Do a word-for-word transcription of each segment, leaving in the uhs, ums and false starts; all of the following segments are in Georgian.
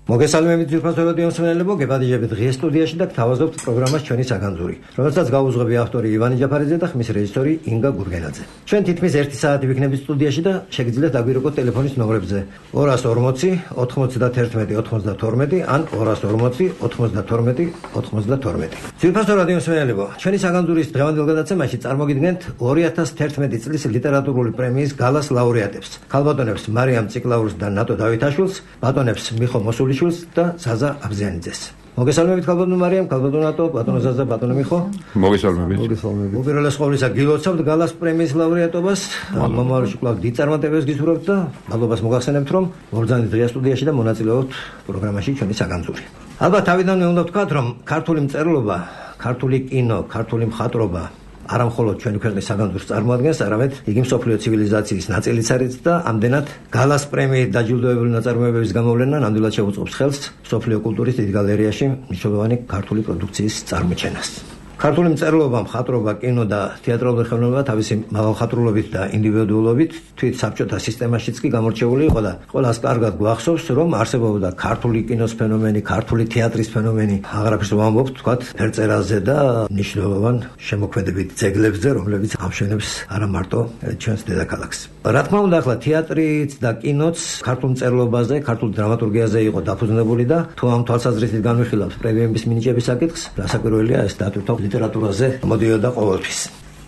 მოგესალმებით ძვირფასო რადიო მსმენელებო, გებადიჟებით დღეს სტუდიაში და გთავაზობთ პროგრამას ჩვენი საგანძური, რომელსაც გაუძღვები ავტორი ივანე ჯაფარიძე და ხმის რეჟისორი ინგა გურგენაძე. ჩვენ თითქმის ერთი საათი ვიქნებით სტუდიაში და შეგიძლიათ დაგვირეკოთ ტელეფონის ნომრებზე ორას ორმოცი ოთხმოცდაათი ოცდათორმეტი ან ორას ორმოცი ოთხმოცდათორმეტი ოცდათორმეტი. ძვირფასო რადიო მსმენელებო, ჩვენი საგანძურის დღევანდელ გადაცემაში წარმოგიდგენთ ორი ათას თერთმეტი წლის ლიტერატურული პრემიის გალას ლაურეატებს, ქალბატონებს მარიამ ციკლაურს და ნატო დავითაშვილს, ბატონებს მიხო მოსულიშვილს და ზაზა აბზიანიძეს. მოგესალმებით ქალბატონო მარიამ, ქალბატონო ნატო, ბატონო ზაზა, ბატონო მიხო. მოგესალმებით. მოგესალმებით. უპირველეს ყოვლისა გილოცავთ გალას პრემიის ლაურეატობას. მომავალში კვლავ დიდ წარმატებებს გისურვებთ და მადლობას მოგახსენებთ, რომ მობრძანეთ დღეს სტუდიაში და მონაწილეობთ პროგრამაში ჩვენი საგანძური. ალბათ თავიდანვე უნდა ვთქვათ, რომ ქართული მწერლობა, ქართული კინო, ქართული მხატვრობა არა მხოლოდ ჩვენი ქვეყნის საგანძურს წარმოადგენს, არამედ იგი მსოფლიო ცივილიზაციის ნაწილიც არის და ამდენად გალას პრემიით დაჯილდოებული ნაწარმოებების გამოვლენა ნამდვილად შეუწყობს ხელს მსოფლიო კულტურის დიდ გალერეაში მნიშვნელოვანი ქართული პროდუქციის წარმოჩენას. ქართული მწერლობა, მხატვრობა, კინო და თეატრალური ხელოვნება თავისი მაღალხატრულობით და ინდივიდუალობით თვით საბჭოთა სისტემაშიც კი გამორჩეული იყო და ყველას კარგად გვახსოვს, რომ არსებობდა ქართული კინოს ფენომენი, ქართული თეატრის ფენომენი, აღარაფერს ვამბობთ, თქვათ, ფერწერაზე და მნიშვნელოვან შემოქმედებით ძეგლებზე, რომლებიც ამშვენებს არა მარტო ჩვენს დედაქალაქს. რა თქმა უნდა, ახლა თეატრიც და კინოც ქართულ მწერლობაზე, ქართულ დრამატურგიაზე იყო დაფუძნებული და თუ ამ თვალსაზრისით განვიხილავთ პრემიების მინიჭების საკითხს, რასაკვირველია ეს დატვირთვა ლიტერატურაზე მოდიოდა ყოველთვის.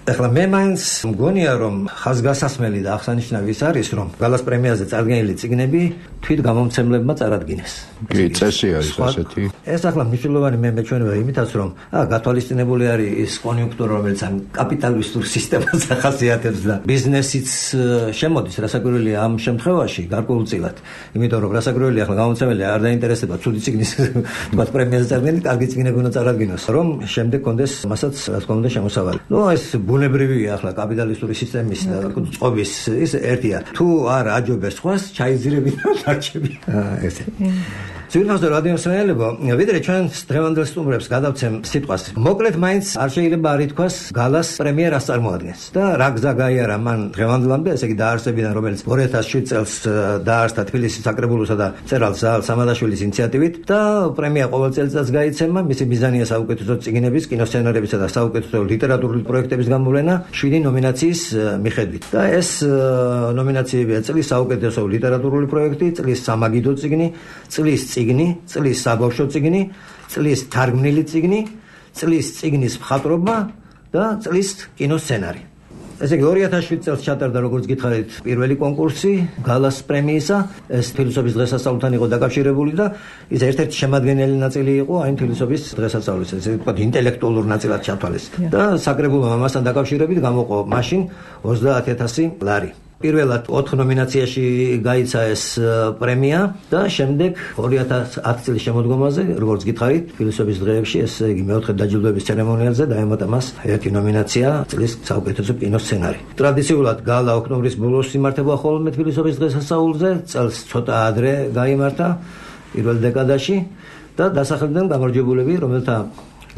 ახლა მე მაინც მგონია, რომ ხაზგასასმელი და აღსანიშნავი ის არის, რომ გალას პრემიაზე წარდგენილი წიგნები თვით გამომცემლებმა წარადგინეს. კი, წესი არის ასეთი. ეს ახლა მნიშვნელოვანი მე მეჩვენება იმითაც, რომ ა გათვალისწინებული არის ის კონიუნქტურა, რომელიც ამ კაპიტალისტურ სისტემას ახასიათებს და ბიზნესიც შემოდის, რასაკვირველია ამ შემთხვევაში გარკვეულწილად. იმიტომ რომ რასაკვირველია ახლა გამომცემელი არ დაინტერესდება ცუდი წიგნის თქვათ პრემიაზე წარდგენილი, კარგი წიგნები უნდა წარადგინოს, რომ შემდეგ კონდეს მასაც რა თქმა უნდა შემოსავალი. ნუ ეს ბუნებრივია ახლა კაპიტალისტური სისტემის და წყობის ის ერთია. თუ არ აჯობეს სხვას, ჩაიძირებით და დარჩები. აა ესე. ძვირფასო რადიო მსმენელებო, ვიდრე ჩვენ დღევანდელ სტუმრებს გადავცემ სიტყვას, მოკლედ მაინც არ შეიძლება არ ითქვას გალას პრემია რას წარმოადგენს და რა გზა გაიარა მან დღევანდლამდე, ესე იგი დაარსებიდან, რომელიც ორი ათას შვიდ წელს დაარსდა თბილისის საკრებულოსა და მწერალ ზაალ სამადაშვილის ინიციატივით და პრემია ყოველ წელიწადს გაიცემა. მისი მიზანია საუკეთესო წიგნების, კინოსცენარებისა და საუკეთესო ლიტერატურული პროექტების გამოვლენა შვიდი ნომინაციის მიხედვით. და ეს ნომინაციებია წლის საუკეთესო ლიტერატურული პროექტი, წლის სამაგიდო წიგნი, წლის წიგნი, წლის საბავშვო წიგნი, წლის თარგმნილი წიგნი, წლის წიგნის მხატვრობა და წლის კინოსცენარი. ესე იგი ორი ათას შვიდ წელს ჩატარდა, როგორც გითხარით, პირველი კონკურსი გალას პრემიისა. ეს ფილოსოფიის დღესასწაულთან იყო დაკავშირებული და ის ერთ-ერთი შემადგენელი ნაწილი იყო აი ფილოსოფიის დღესასწაულის, ესე ვთქვათ, ინტელექტუალურ ნაწილად ჩათვალეს. და საკრებულომ ამასთან დაკავშირებით გამოყო მაშინ ოცდაათი ათასი ლარი. პირველად ოთხ ნომინაციაში გაიცა ეს პრემია და შემდეგ ორი ათას ათი წლის შემოდგომაზე, როგორც გითხარით, ფილოსოფიის დღეებში, ესე იგი მეოთხე დაჯილდოების ცერემონიალზე დაემატა მას ერთი ნომინაცია წლის საუკეთესო კინოსცენარი. ტრადიციულად გალა ოქტომბრის ბოლოს იმართება ხოლმე ფილოსოფიის დღესასწაულზე, წელს ცოტა ადრე გაიმართა პირველ დეკადაში და დასახელდნენ გამარჯვებულები, რომელთა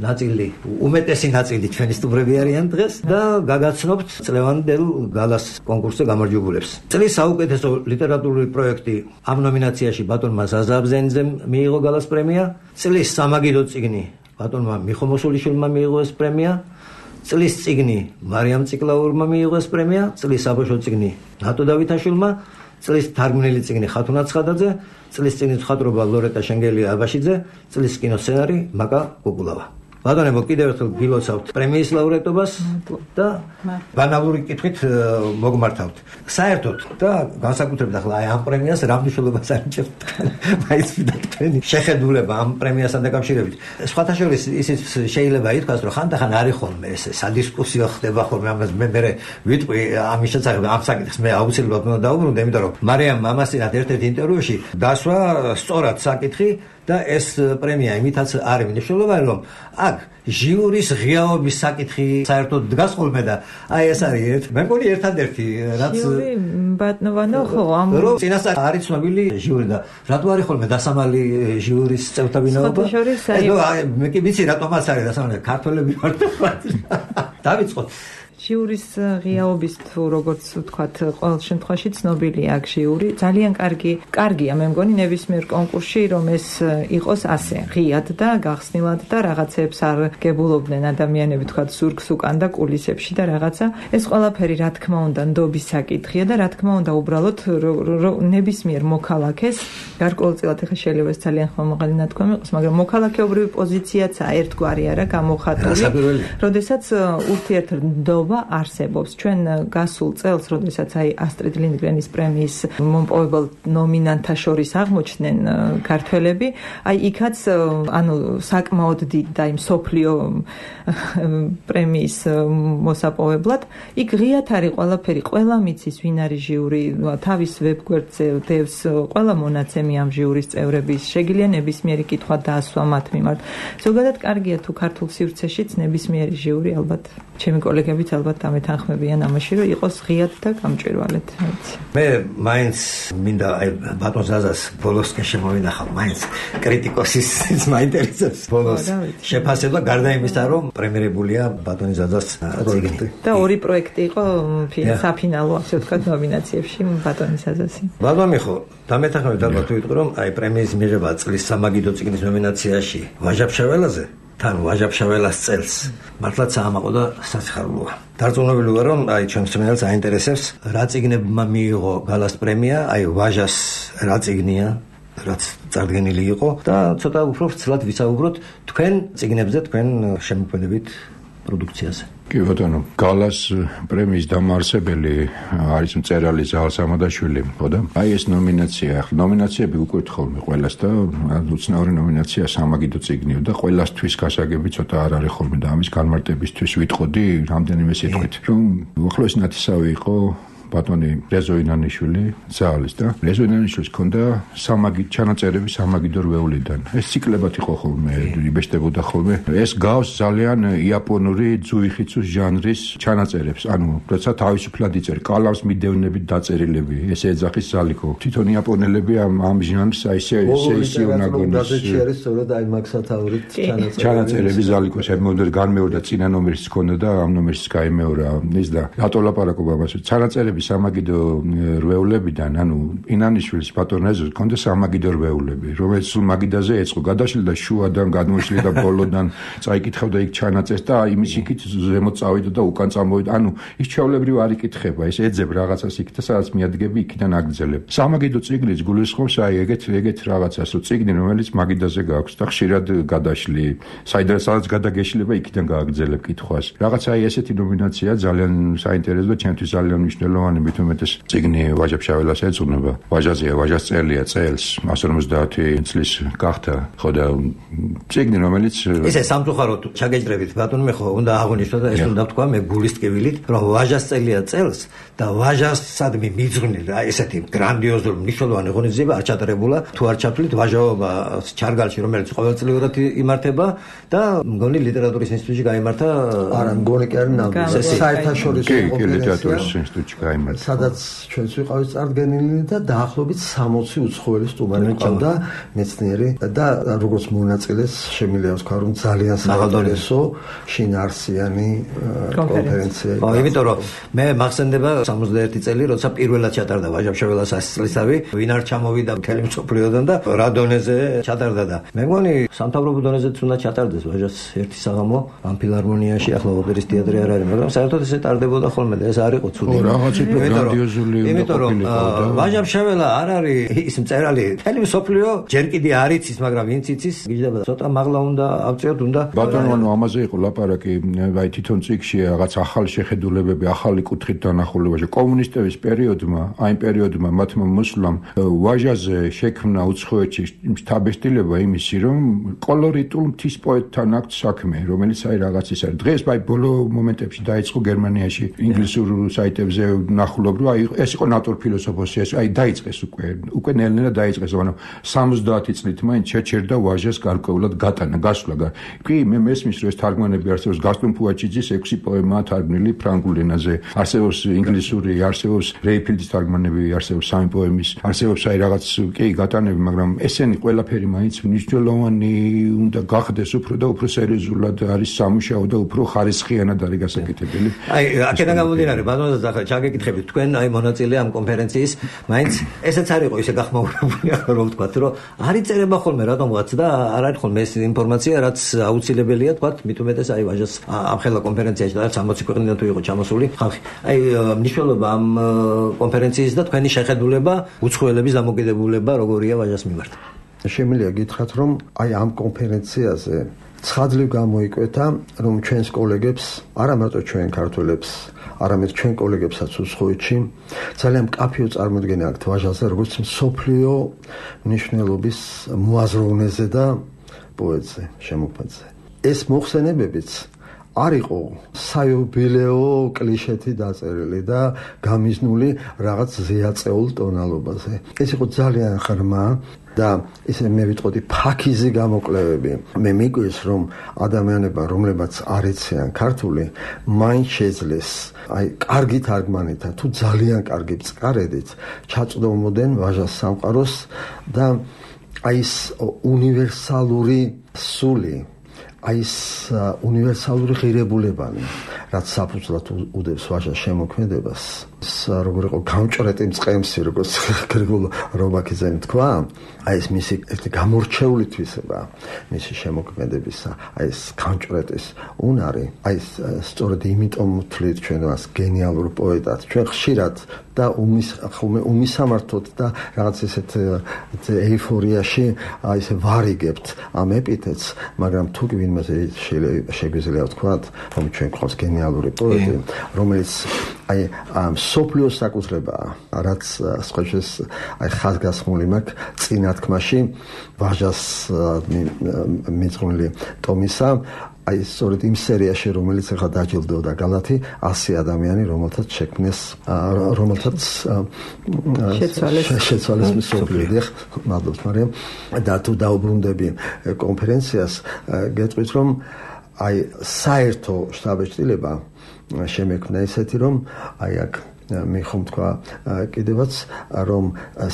ნაწილი, უმეტესი ნაწილი ჩვენი სტუმრები არიან დღეს და გაგაცნობთ წლევანდელ გალას კონკურსზე გამარჯვებულებს. წლის საუკეთესო ლიტერატურული პროექტი ამ ნომინაციაში ბატონმა ზაზა აბზიანიძემ მიიღო გალას პრემია, წლის სამაგიდო წიგნი ბატონმა მიხო მოსულიშვილმა მიიღო ეს პრემია, წლის წიგნი მარიამ ციკლაურმა მიიღო ეს პრემია, წლის საბავშვო წიგნი ნატო დავითაშვილმა, წლის თარგმნილი წიგნი ხათუნა ცხადაძე, წლის წიგნის მხატვრობა ლორეტა შენგელია აბაშიძე, წლის კინოსცენარი მაკა კუკულავა. ბატონებო, კიდევ ერთხელ გილოცავთ პრემიის ლაურეატობას და ბანალური კითხვით მოგმართავთ. საერთოდ და განსაკუთრებით ახლა აი ამ პრემიას რა მნიშვნელობას ანიჭებთ? მაინც ვიდათ თქვენი შეხედულება ამ პრემიასთან დაკავშირებით. სხვათა შორის ისიც შეიძლება ითქვას, რომ ხანდახან არის ხოლმე ესე სადისკუსიო ხდება ხოლმე ამას მე მე ვიტყვი ამის შესახებ ამ საკითხს მე აუცილებლად უნდა დაუბრუნდე, იმიტომ რომ მარიამ მამასინათ ერთ-ერთ ინტერვიუში დასვა სწორად საკითხი და ეს პრემია იმითაც არის მნიშვნელოვანი, რომ აქ ჟიურის ღიაობის საკითხი საერთოდ დგას ხოლმე და აი ეს არის ერთ მე მგონი ერთადერთი რაც ჟიური ბატონო ხო ამ რომ წინასწარ არის ცნობილი ჟიური და რატო არის ხოლმე დასამალი ჟიურის წევრთა ვინაობა? აი მე კი ვიცი რატომაც არის დასამალი, ქართველები ვართ. დავიწყოთ. ჟიურის ღიაობის თუ როგორც ვთქვათ, ყოველ შემთხვევაში ცნობილია აქ ჟიური. ძალიან კარგი, კარგია მე მგონი ნებისმიერ კონკურსში, რომ ეს იყოს ასე, ღიად და გახსნილად და რაღაცებს არ გებულობდნენ ადამიანები, ვთქვათ, ზურგს უკან და კულისებში და რაღაცა. ეს ყველაფერი რა თქმა უნდა ნდობის საკითხია და რა თქმა უნდა უბრალოდ ნებისმიერ მოქალაქეს, გარკვეულწილად ახლა შეიძლება ეს ძალიან ხმამაღალი ნათქვამი იყოს, მაგრამ მოქალაქეობრივი პოზიციაცაა ერთგვარი არა გამოხატული, როდესაც ურთიერთნდობა არსებობს. ჩვენ გასულ წელს, როდესაც აი ასტრიდ ლინდგრენის პრემიის მომპოვებელ ნომინანტთა შორის აღმოჩნდნენ ქართველები, აი იქაც ანუ საკმაოდ დიდ და იმ სოფლიო პრემიის მოსაპოვებლად, იქ ღიად არის ყველაფერი, ყველა მიცის ვინ არის ჟიური, თავის ვებგვერდზე დევს ყველა მონაცემი ამ ჟიურის წევრების, შეგიძლია ნებისმიერი კითხვა დაასვა მათ მიმართ. ზოგადად კარგია თუ ქართულ სივრცეშიც ნებისმიერი ჟიური ალბათ ჩემი კოლეგებიც ალბათ დამეთანხმებიან ამაში, რომ იყოს ღიად და გამჭვირვალედ. მე მაინც მინდა აი ბატონ ზაზას ბოლოსკენ შემოვინახავ, მაინც კრიტიკოსის მაინტერესებს ბოლოს შეფასება გარდა იმისა, რომ პრემიერებულია ბატონი ზაზას პროექტი. და ორი პროექტი იყო საფინალო, ასე ვთქვათ, ნომინაციებში ბატონი ზაზასი. ბატონი ხო, დამეთანხმებით ალბათ თუ ვიტყვი, რომ აი პრემიის მიღება წლის სამაგიდო წიგნის ნომინაციაში ვაჟა-ფშაველაზე თან ვაჟა-ფშაველას წელს მართლაც აამაყო და სასიხარულოა. დარწმუნებული ვარ, რომ აი ჩემს მსმენელს აინტერესებს რა წიგნებმა მიიღო გალას პრემია, აი ვაჟას რა წიგნია, რაც წარდგენილი იყო და ცოტა უფრო ვრცლად ვისაუბროთ თქვენ წიგნებზე, თქვენ შემოქმედებით პროდუქციაზე. კი ბატონო, გალას პრემიის დამაარსებელი არის მწერალი ზაალ სამადაშვილი, ხო და? აი ეს ნომინაცია, ნომინაციები უკვე თხოვმე ყველას და უცნაური ნომინაცია სამაგიდო წიგნია და ყველასთვის გასაგები ცოტა არ არის ხოლმე და ამის განმარტებისთვის ვიტყოდი რამდენიმე სიტყვით, რომ უახლოესი ნათესავი იყო ბატონი რეზო ინანიშვილი ზაალის და რეზო ინანიშვილს ჰქონდა სამაგი ჩანაწერები სამაგიდო რვეულიდან. ეს ციკლებად იყო ხოლმე, იბეჭდებოდა ხოლმე. ეს გავს ძალიან იაპონური ძუიხიცუს ჟანრის ჩანაწერებს. ანუ როცა თავისუფლად იწერს, კალამს მიდევნებით დაწერილები, ესე ეძახის ზალიკო. თვითონ იაპონელები ამ ამ ჟანრს აი ესე ესე ისეუნაგონის გაზეთში არის სწორედ აი მაქსათაურით ჩანაწერები. ჩანაწერები ზალიკო შემოვიდა განმეორდა წინა ნომერის ჰქონდა და ამ ნომერის გაიმეორა ის და რატო ლაპარაკობ ამას ჩანაწერები სამაგიდო რვეულებიდან, ანუ ინანიშვილის ბატონ რეზოს ჰქონდა სამაგიდო რვეულები, რომელიც სულ მაგიდაზე ეწყო, გადაშლდა შუადან, გადმოშლიდა ბოლოდან, წაიკითხავდა იქ ჩანაწერს და იმის იქით ზემოთ წავიდა და უკან წამოვიდა. ანუ ის ჩვეულებრივ არ იკითხება, ეს ეძებ რაღაცას იქ და სადაც მიადგები, იქიდან აგძელებ. სამაგიდო წიგნიც გულისხმობს აი ეგეთ ეგეთ რაღაცას, რომ წიგნი რომელიც მაგიდაზე გაქვს და ხშირად გადაშლი, საიდანაც სადაც გადაგეშლება, იქიდან გააგძელებ კითხვას. რაღაც აი ესეთი ნომინაცია ძალიან საინტერესო და ჩემთვის ძალიან მნიშვნელოვანი. მით უმეტეს წიგნი ვაჟა-ფშაველას ეძღვნება. ვაჟაზეა, ვაჟას წელია წელს εκατს ორმოცდაათი წლის გახდა. ხო და წიგნი რომელიც ესე სამწუხაროდ ჩაგეჭრებით ბატონო, მე ხო უნდა აღვნიშნო და ეს უნდა ვთქვა მე გულის ტკივილით, რომ ვაჟას წელია წელს და ვაჟასადმი მიძღვნილი რა ესეთი გრანდიოზული მნიშვნელოვანი ღონისძიება არ ჩატარებულა თუ არ ჩათვლით ვაჟაობა ჩარგალში, რომელიც ყოველწლიურად იმართება და მგონი ლიტერატურის ინსტიტუტში გაიმართა. არა, მგონი კი არის ნამდვილად საერთაშორისო კონფერენცია სადაც ჩვენც ვიყავით წარდგენილი და დაახლოებით სამოცი უცხოელი სტუმარი ყავდა მეცნიერი და როგორც მონაწილეს შემიძლია ვთქვა, რომ ძალიან საინტერესო შინაარსიანი კონფერენცია იყო. იმიტომ რომ მე მახსენდება სამოცდაერთი წელი, როცა პირველად ჩატარდა ვაჟა-ფშაველას ასი წლისავე, ვინ არ ჩამოვიდა მთელი მსოფლიოდან და რა დონეზე ჩატარდა და მე მგონი სამთავრობო დონეზეც უნდა ჩატარდეს ვაჟას ერთი საღამო ამ ფილარმონიაში, ახლა ოპერის თეატრი არ არის, მაგრამ საერთოდ ესე ტარდებოდა ხოლმე და ეს არ იყო ცუდი. გრანდიოზული იმიტომ რომ ვაჟა-ფშაველა არ არის ის მწერალი, მთელი მსოფლიო ჯერ კიდე არ იცის, მაგრამ ვინც იცის, გიждდება ცოტა მაღლა უნდა ავწიოთ, უნდა ბატონო, ანუ ამაზე იყო ლაპარაკი, აი თვითონ წიგნში რაღაც ახალი შეხედულებები, ახალი კუთხით დანახულებაში კომუნისტების პერიოდმა, აი პერიოდმა მათმა მოსვლამ ვაჟაზე შექმნა უცხოეთში შთაბეჭდილება იმისი, რომ კოლორიტულ მთის პოეტთან აქვს საქმე, რომელიც აი რაღაც ის არის. დღეს აი ბოლო მომენტებში დაიწყო გერმანიაში ინგლისურ საიტებზე ნახულობ, რომ აი ეს იყო ნატურფილოსოფოსია, აი დაიწყეს უკვე, უკვე ნელ-ნელა დაიწყეს, ანუ სამოცდაათი წლით მაინც შეჩერდა ვაჟას გარკვეულად გატანა, გასვლა. კი, მე მესმის, რომ ეს თარგმანები არსებობს გასტონ ფუაჩიძის ექვსი პოემაა თარგმნილი ფრანგულ ენაზე, არსებობს ინგლისური, არსებობს რეიფილდის თარგმანები, არსებობს სამი პოემის, არსებობს აი რაღაც კი გატანები, მაგრამ ესენი ყველაფერი მაინც მნიშვნელოვანი უნდა გახდეს უფრო და უფრო სერიოზულად არის სამუშაო და უფრო ხარისხიანად არის გასაკეთებელი. აი, აქედან გამომდინარე, ბატონო, ახლა ჩაგეკითხებით თქვენ აი მონაწილე ამ კონფერენციის, მაინც ესეც არ იყო ისე გახმაურებული, რომ ვთქვათ, რომ არის წერება ხოლმე რატომღაც და არ არის ხოლმე ეს ინფორმაცია, რაც აუცილებელია, თქვათ, მით უმეტეს აი ვაჟას ამ ხელა კონფერენციაში და სამოცი ქვეყნიდან თუ იყო ჩამოსული ხალხი. აი, მნიშვნელობა ამ კონფერენციის და თქვენი შეხედულება, უცხოელების დამოკიდებულება როგორია ვაჟას მიმართ. შემიძლია გითხრათ, რომ აი ამ კონფერენციაზე ცხადლივ გამოიკვეთა, რომ ჩვენს კოლეგებს, არა მარტო ჩვენ ქართველებს, არამედ ჩვენ კოლეგებსაც უცხოეთში ძალიან მკაფიო წარმოდგენა აქვთ ვაჟაზე, როგორც მსოფლიო მნიშვნელობის მოაზროვნეზე და პოეტზე, შემოქმედზე. ეს მოხსენებებიც არ იყო საიუბილეო კლიშეთი დაწერილი და გამიზნული რაღაც ზეაწეულ ტონალობაზე. ეს იყო ძალიან ღრმა და ისე მე ვიტყოდი ფაქიზი გამოკვლევები. მე მიგვიეს, რომ ადამიანებმა, რომლებაც არ იციან ქართული, მაინც შეძლეს აი კარგი თარგმანითა თუ ძალიან კარგი წყარედით ჩაწვდომოდნენ ვაჟას სამყაროს და აი ეს უნივერსალური სული, აი ეს უნივერსალური ღირებულებანი, რაც საფუძვლად უდევს ვაჟას შემოქმედებას, როგორ იყო გამჭრეტი მწყემსი, როგორც გრიგოლ რობაქიძემ თქვა, აი ეს მისი ერთი გამორჩეული თვისება მისი შემოქმედებისა, აი ეს გამჭრეტის უნარი, აი ეს სწორედ იმიტომ ვთვლით ჩვენ მას გენიალურ პოეტად, ჩვენ ხშირად და უმის ხოლმე უმისამართოდ და რაღაც ესეთ ეიფორიაში აი ესე ვარიგებთ ამ ეპითეტს, მაგრამ თუ კი ვინმეზე შეგვიძლია ვთქვათ, რომ ჩვენ გვყავს გენიალური პოეტი, რომელიც აი ამ სოფლიოს საკუთრებაა, რაც სხვაჯერ აი ხაზგასმული მაქვს წინა თქმაში ვაჟას მიძღვნილი ტომისა, აი სწორედ იმ სერიაში, რომელიც ახლა დაჯილდოვდა გალათი, ასი ადამიანი, რომელთაც შექმნეს, რომელთაც შეცვალეს მსოფლიო. მადლობთ, მარიამ. და თუ დაუბრუნდები კონფერენციას, გეტყვით, რომ აი საერთო შტაბ-ჩრდილება შემექმნა ისეთი, რომ აი აქ მე ხომ თქვა კიდევაც, რომ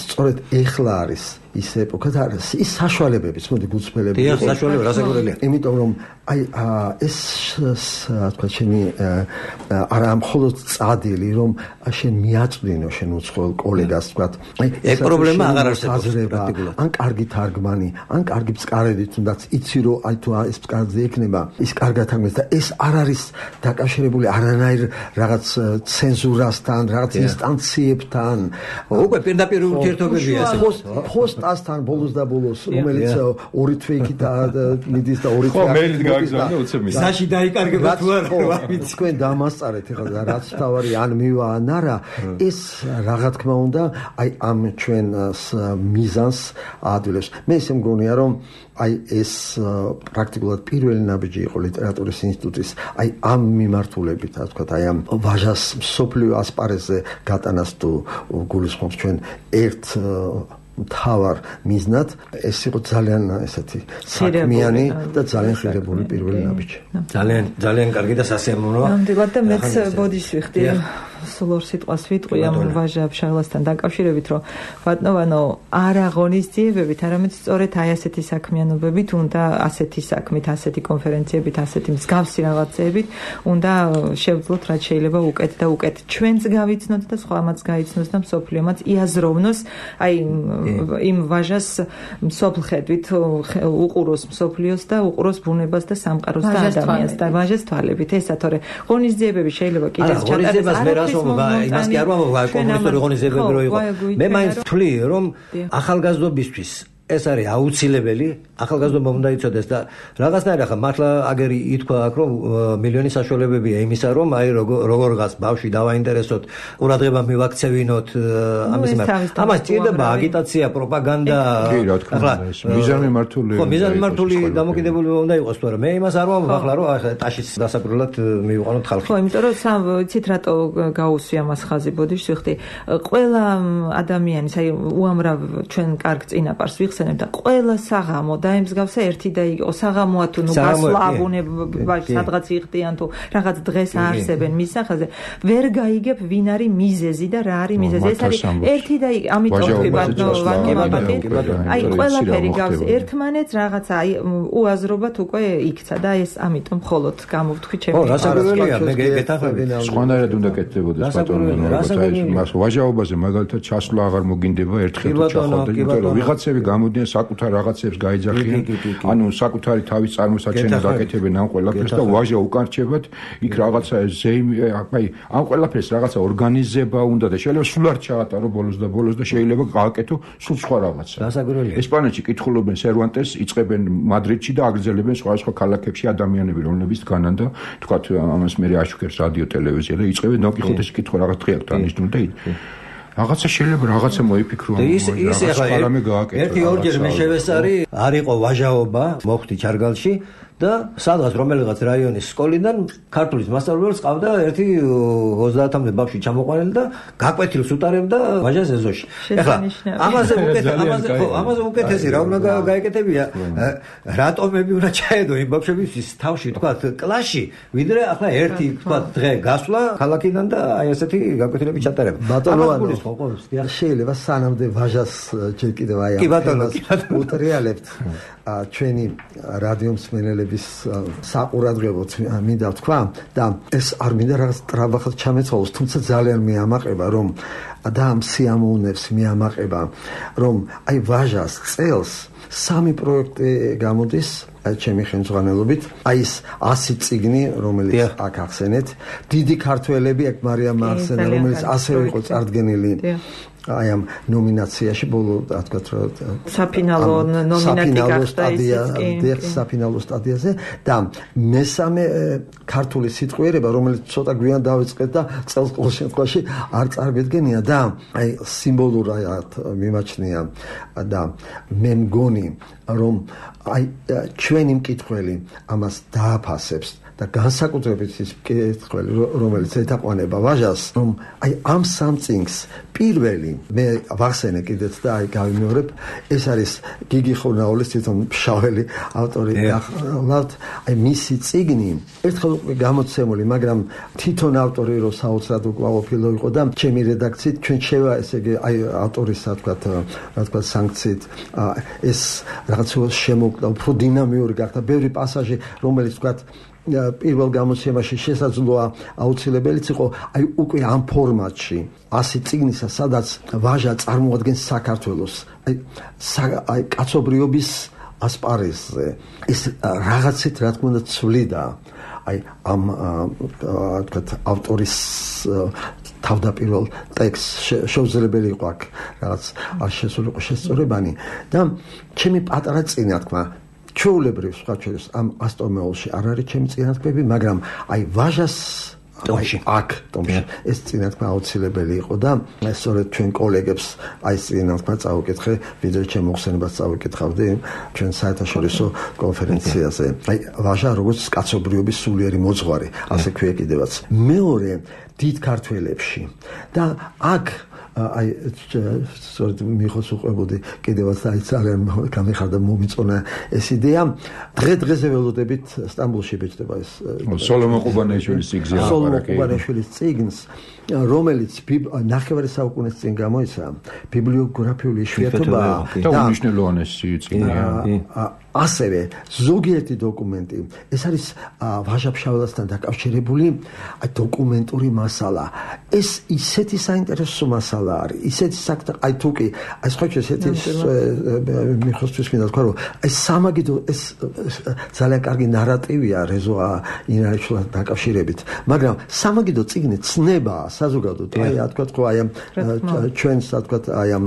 სწორედ ეხლა არის ის ეპოქა და ის საშუალებებიც, მოდი გულწრფელები. დიახ, საშუალება რასაკვირველია. იმიტომ რომ აი ეს თქვა შენი არა მხოლოდ წადილი, რომ შენ მიაწვდინო შენ უცხოელ კოლეგას, თქვა აი ეს პრობლემა აღარ არსებობს პრაქტიკულად. ან კარგი თარგმანი, ან კარგი წყარები, თუნდაც იცი რომ აი თუ ეს წყარზე იქნება, ის კარგად თარგმნეს და ეს არ არის დაკავშირებული არანაირ რაღაც ცენზურასთან, რაღაც ინსტანციებთან. უკვე პირდაპირ ურთიერთობებია ეს. პოსტასთან ბოლოს და ბოლოს, რომელიც ორი თვეიქით მიდის და ორი თვე მელით გააგზავნა უცებ მის. საში დაიკარგება თუ არა, ვიცი. თქვენ დამასწარეთ ახლა რაც თავარი ან მივა ან არა, ეს რა თქმა უნდა აი ამ ჩვენ მიზანს აადვილებს. მე ისე მგონია რომ აი ეს პრაქტიკულად პირველი ნაბიჯი იყო ლიტერატურის ინსტიტუტის აი ამ მიმართულებით, ასე ვთქვათ, აი ამ ვაჟას მსოფლიო ასპარეზზე გატანას თუ გულისხმობს ჩვენ ერთ მთავარ მიზნად, ეს იყო ძალიან ესეთი საქმიანი და ძალიან ხირებული პირველი ნაბიჯი. ძალიან ძალიან კარგი და სასიამოვნოა. ნამდვილად და მეც ბოდიშს ვიხდი. სულ ორ სიტყვას ვიტყვი ამ ვაჟა ფშავლასთან დაკავშირებით, რომ ბატონო არ აღონისძიებებით, არამედ სწორედ აი ასეთი საქმიანობებით, უნდა ასეთი საქმით, ასეთი კონფერენციებით, ასეთი მსგავსი რაღაცეებით, უნდა შევძლოთ რაც შეიძლება უკეთ და უკეთ. ჩვენც გავიცნოთ და სხვამაც გაიცნოს და მსოფლიომაც იაზროვნოს აი იმ ვაჟას მსოფლხედვით უყუროს მსოფლიოს და უყუროს ბუნებას და სამყაროს და ადამიანს და ვაჟას თვალებით. ესა თორე ღონისძიებები შეიძლება კიდეც ჩატარდეს. იმას კი არ ვამბობ, კომუნისტური ღონისძიებები რო იყო. მე მაინც ვთვლი, რომ ახალგაზრდობისთვის ეს არის აუცილებელი, ახალგაზრდობა უნდა იცოდეს და რაღაცნაირად ახლა მართლა აგერი ითქვა აქ რომ მილიონი საშუალებებია იმისა რომ აი როგორღაც ბავშვი დავაინტერესოთ, ყურადღება მივაქცევინოთ ამის მიმართ. ამას ჭირდება აგიტაცია, პროპაგანდა. კი, რა თქმა უნდა, ეს მიზანმიმართული. ხო, მიზანმიმართული დამოკიდებულება უნდა იყოს, მაგრამ მე იმას არ ვამბობ ახლა რომ ახლა ტაშის დასაკვირველად მივიყვანოთ ხალხი. ხო, იმიტომ რომ სამ იცით რატო გაუსვია მას ხაზი ბოდიში ვიხდი. ყველა ადამიანის აი უამრავ ჩვენ კარგ წინაპარს ვიხსენებ და ყველა საღამო დაემსგავსა ერთი და იყო საღამოა თუ ნუ გასვლაბუნება სადღაც იხდიან თუ რაღაც დღეს არსებენ მის სახაზე ვერ გაიგებ ვინ არის მიზეზი და რა არის მიზეზი ეს არის ერთი და ამიტომ ვთქვი აი ყველაფერი გავს ერთმანეთს რაღაცა აი უაზრობათ უკვე იქცა და ეს ამიტომ მხოლოდ გამოვთქვი ჩემი ხო რასაკვირველია მე გეთახმები სხვანაირად უნდა კეთდებოდეს ბატონო მას ვაჟაობაზე მაგალითად ჩასვლა აღარ მოგინდება ერთხელ თუ ჩახავდა იმიტომ რომ ვიღაცები გამოდიან საკუთარ რაღაცებს გაიძახიან ანუ საკუთარი თავის წარმოსაჩენად აკეთებენ ამ ყველაფერს და ვაჟა უკარჩებად იქ რაღაცა ზეიმი აი ამ ყველაფერს რაღაცა ორგანიზება უნდა და შეიძლება სულ არ ჩაატარო ბოლოს და ბოლოს და შეიძლება გააკეთო სულ სხვა რაღაცა რასაკვირველია ესპანეთში კითხულობენ სერვანტეს იწყებენ მადრიდში და აგრძელებენ სხვა სხვა ქალაქებში ადამიანები რომლებიც განან და თქვათ ამას მე აშუქებს რადიო ტელევიზია და იწყებენ დონკიხოტეს კითხვა რაღაც დღე აქვს დანიშნული და რაღაცა შეიძლება რაღაცა მოიფიქრო ის ის ახლა ერთი ორჯერ მე შევესწარი არ იყო ვაჟაობა მოხდი ჩარგალში და სადღაც რომელიღაც რაიონის სკოლიდან ქართულის მასწავლებლებს ყავდა ერთი ოცდაათამდე ბავშვი ჩამოყვანილი და გაკვეთილს უტარებდა ვაჟას ეზოში. ეხლა ამაზე უკეთ ამაზე ხო ამაზე უკეთესი რა უნდა გაეკეთებია რატომები უნდა ჩაედო იმ ბავშვებისთვის თავში თქვა კლასში ვიდრე ახლა ერთი თქვა დღე გასვლა ქალაქიდან და აი ესეთი გაკვეთილები ჩატარება. ბატონო შეიძლება სანამდე ვაჟას ჯერ კიდევ აი ამას უტრიალებთ ჩვენი რადიო მსმენელების საყურადღებოდ მინდა ვთქვა და ეს არ მინდა რაღაც ტრაბახად ჩამეცვალოს თუმცა ძალიან მეამაყება რომ და ამ სიამოვნებს მეამაყება რომ აი ვაჟას წელს სამი პროექტი გამოდის ჩემი ხელმძღვანელობით აი ეს ასი წიგნი რომელიც აქ ახსენეთ დიდი ქართველები აქ მარიამ ახსენა რომელიც ასევე იყო წარდგენილი აი ამ ნომინაციაში ბოლო რა თქვა საფინალო ნომინანტი სტადია საფინალო სტადიაზე და მესამე ქართული სიტყვიერება რომელიც ცოტა გვიან დავიწყეთ და წელს ყოველ შემთხვევაში არ წარგედგენია და აი სიმბოლურად მიმაჩნია და მე მგონი რომ აი ჩვენი მკითხველი ამას დააფასებს და განსაკუთრებით ის მკითხველი რომელიც ეთაყვანება ვაჟას რომ აი ამ სამწინგს პირველი მე ვახსენე კიდეც და აი გავიმეორებ ეს არის გიგი ხურნაულის თვითონ შაველი ავტორი ახლავთ აი მისი წიგნი ერთხელ უკვე გამოცემული მაგრამ თვითონ ავტორი რო საოცრად უკმაყოფილო იყო და ჩემი რედაქციით ჩვენ შევა ესე იგი აი ავტორის რა თქვა რა თქვა სანქციით ეს რაღაც შემოკვდა უფრო დინამიური გახდა ბევრი პასაჟი რომელიც თქვა პირველ გამოცემაში შესაძლოა აუცილებელიც იყო აი უკვე ამ ფორმატში ასი წიგნისა სადაც ვაჟა წარმოადგენს საქართველოს აი აი კაცობრიობის ასპარეზზე ეს რაღაცით რა თქმა უნდა ცვლიდა აი ამ თქვათ ავტორის თავდაპირველ ტექსტს შეუძლებელი იყო აქ რაღაც არ შესულიყო შესწორებანი და ჩემი პატარა წინათქმა ჩვეულებრივ სხვა ჩვენს ამ ასტომეულში არ არის ჩემი წინათქმები მაგრამ აი ვაჟას ტომში აქ ტომში ეს წინათქმა აუცილებელი იყო და სწორედ ჩვენ კოლეგებს აი წინათქმა წავიკითხე ვიდრე ჩემ მოხსენებას წავიკითხავდი ჩვენ საერთაშორისო კონფერენციაზე აი ვაჟა როგორც კაცობრიობის სულიერი მოძღვარი ასე ქვია კიდევაც მეორე დიდ ქართველებში და აქ აი სწორედ მიხოს უყვებოდი კიდევაც აი ძალიან გამიხარდა მომიწონა ეს იდეა დღე დღეზე ველოდებით სტამბოლში ბეჭდება ეს სოლომონ ყუბანეიშვილის წიგნი სოლომონ ყუბანეიშვილის წიგნს რომელიც ნახევარი საუკუნის წინ გამოიცა ბიბლიოგრაფიული იშვიათობა და უმნიშვნელოვანესი წიგნია ასევე ზოგიერთი დოკუმენტი ეს არის ვაჟა-ფშაველასთან დაკავშირებული დოკუმენტური მასალა ეს ისეთი საინტერესო მასალა მასალა არის. ისეთი საქმე, აი თუ კი, აი სხვა ესეთი მიხოსთვის მინდა თქვა, რომ ეს სამაგიდო ეს ძალიან კარგი ნარატივია რეზო ინარჩულად დაკავშირებით, მაგრამ სამაგიდო წიგნი ცნება საზოგადოდ, აი რა თქვა, ხო აი ამ ჩვენს რა თქვა, აი ამ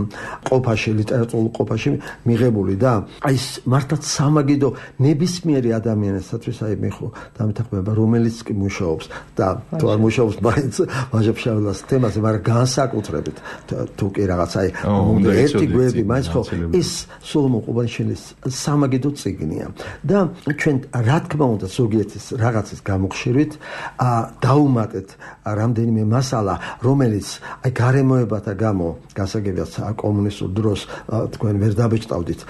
ყოფაში, ლიტერატურულ ყოფაში მიღებული და აი მართლაც სამაგიდო ნებისმიერი ადამიანისათვის აი მე ხო დამეთანხმება, რომელიც კი მუშაობს და თუ არ მუშაობს მაინც ვაჟა-ფშაველას თემაზე, მაგრამ განსაკუთრებით თუ კი რაღაც აი ერთი გვერდი მაინც ხო ის სოლომონ ყუბანიშვილის სამაგიდო წიგნია და ჩვენ რა თქმა უნდა ზოგიერთის რაღაცის გამოხშირვით დაუმატეთ რამდენიმე მასალა, რომელიც აი გარემოებათა გამო გასაგებია კომუნისტურ დროს თქვენ ვერ დაბეჭდავდით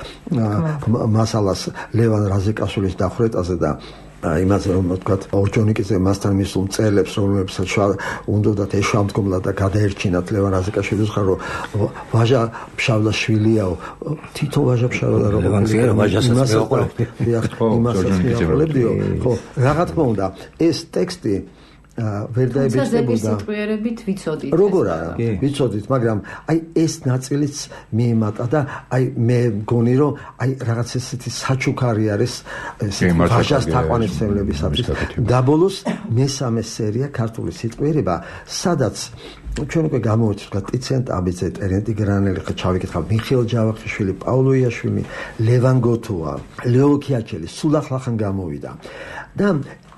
მასალას ლევან რაზიკაშვილის დახვრეტაზე და იმაზე რომ ვთქვათ ორჯონიკიძე მასთან მისულ მწერლებს რომლებსაც უნდათ ეშვამდგომლად და გადაერჩინათ ლევან რაზიკაშვილის ხარ რომ ვაჟა ფშავლაშვილიაო თითო ვაჟა ფშაველა რომ იმასაც მეუყოლებდიო ხო რა თქმა უნდა ეს ტექსტი ვერ დაებეჭდებოდა სიტყვიერებით ვიცოდით როგორ არა ვიცოდით მაგრამ აი ეს ნაწილიც მიემატა და აი მე მგონი რომ აი რაღაც ესეთი საჩუქარი არის ვაჟას თაყვანისმცემლებისათვის და ბოლოს მესამე სერია ქართული სიტყვიერება სადაც ჩვენ უკვე გამოვით ვთქვათ ტიციან ტაბიძე, ტერენტი გრანელი ხა ჩავიკითხავ მიხეილ ჯავახიშვილი, პავლო იაშვილი, ლევან გოთუა, ლეო ქიაჩელი, სულ ახლახან გამოვიდა და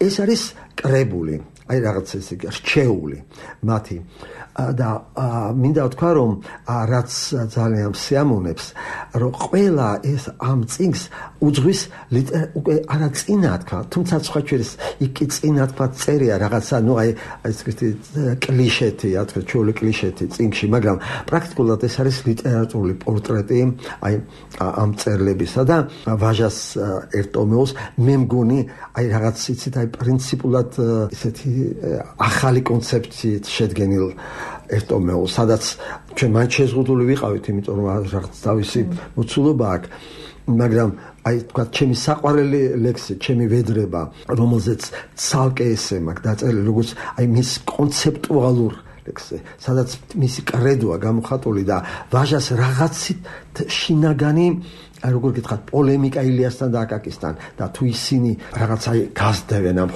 ეს არის კრებული აი რაღაც ესე რჩეული მათი და მინდა ვთქვა რომ რაც ძალიან სიამოვნებს რომ ყველა ეს ამ წიგნს უძღვის უკვე არა წინა თქვა თუმცა სხვა ჩვენს იქ წინა თქვა წერია რაღაცა ნუ აი ეს ისეთი კლიშეთი რა თქვა ჩვეული კლიშეთი წიგნში მაგრამ პრაქტიკულად ეს არის ლიტერატურული პორტრეტი აი ამ წერლებისა და ვაჟას ერთომეოს მე მგონი აი რაღაც იცით აი პრინციპულად ესეთი ახალი კონცეფციით შედგენილ ერთომეო, სადაც ჩვენ მაინც შეზღუდული ვიყავით, იმიტომ რომ რაღაც თავისი მოცულობა აქვს, მაგრამ აი თქვა ჩემი საყვარელი ლექსი, ჩემი ვედრება, რომელზეც ცალკე ესე მაქვს დაწერილი, როგორც აი მის კონცეპტუალურ ლექსზე, სადაც მისი კრედოა გამოხატული და ვაჟას რაღაცით შინაგანი აი როგორ გითხრათ პოლემიკა ილიასთან და აკაკისთან და თუ ისინი რაღაც აი გასდევენ ამ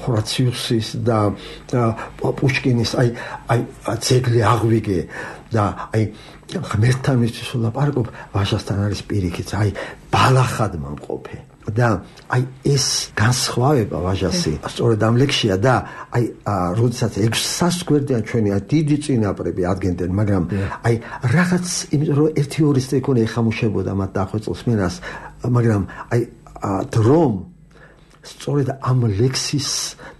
ხორაციუსის და პუშკინის აი აი ძეგლი აღვიგე და აი ღმერთთან მისთვის ვლაპარაკობ ვაჟასთან არის პირიქით აი ბალახად მომყოფე და აი ეს განსხვავება ვაჟასი სწორედ ამ ლექსია და აი როდესაც ექვსას გვერდიან ჩვენი დიდი წინაპრები ადგენდნენ მაგრამ აი რაღაც იმიტომ რომ ერთი ორი სეკუნდი ეხამუშებოდა მათ დახვეწილს მენას მაგრამ აი დრომ სწორედ ამ ლექსის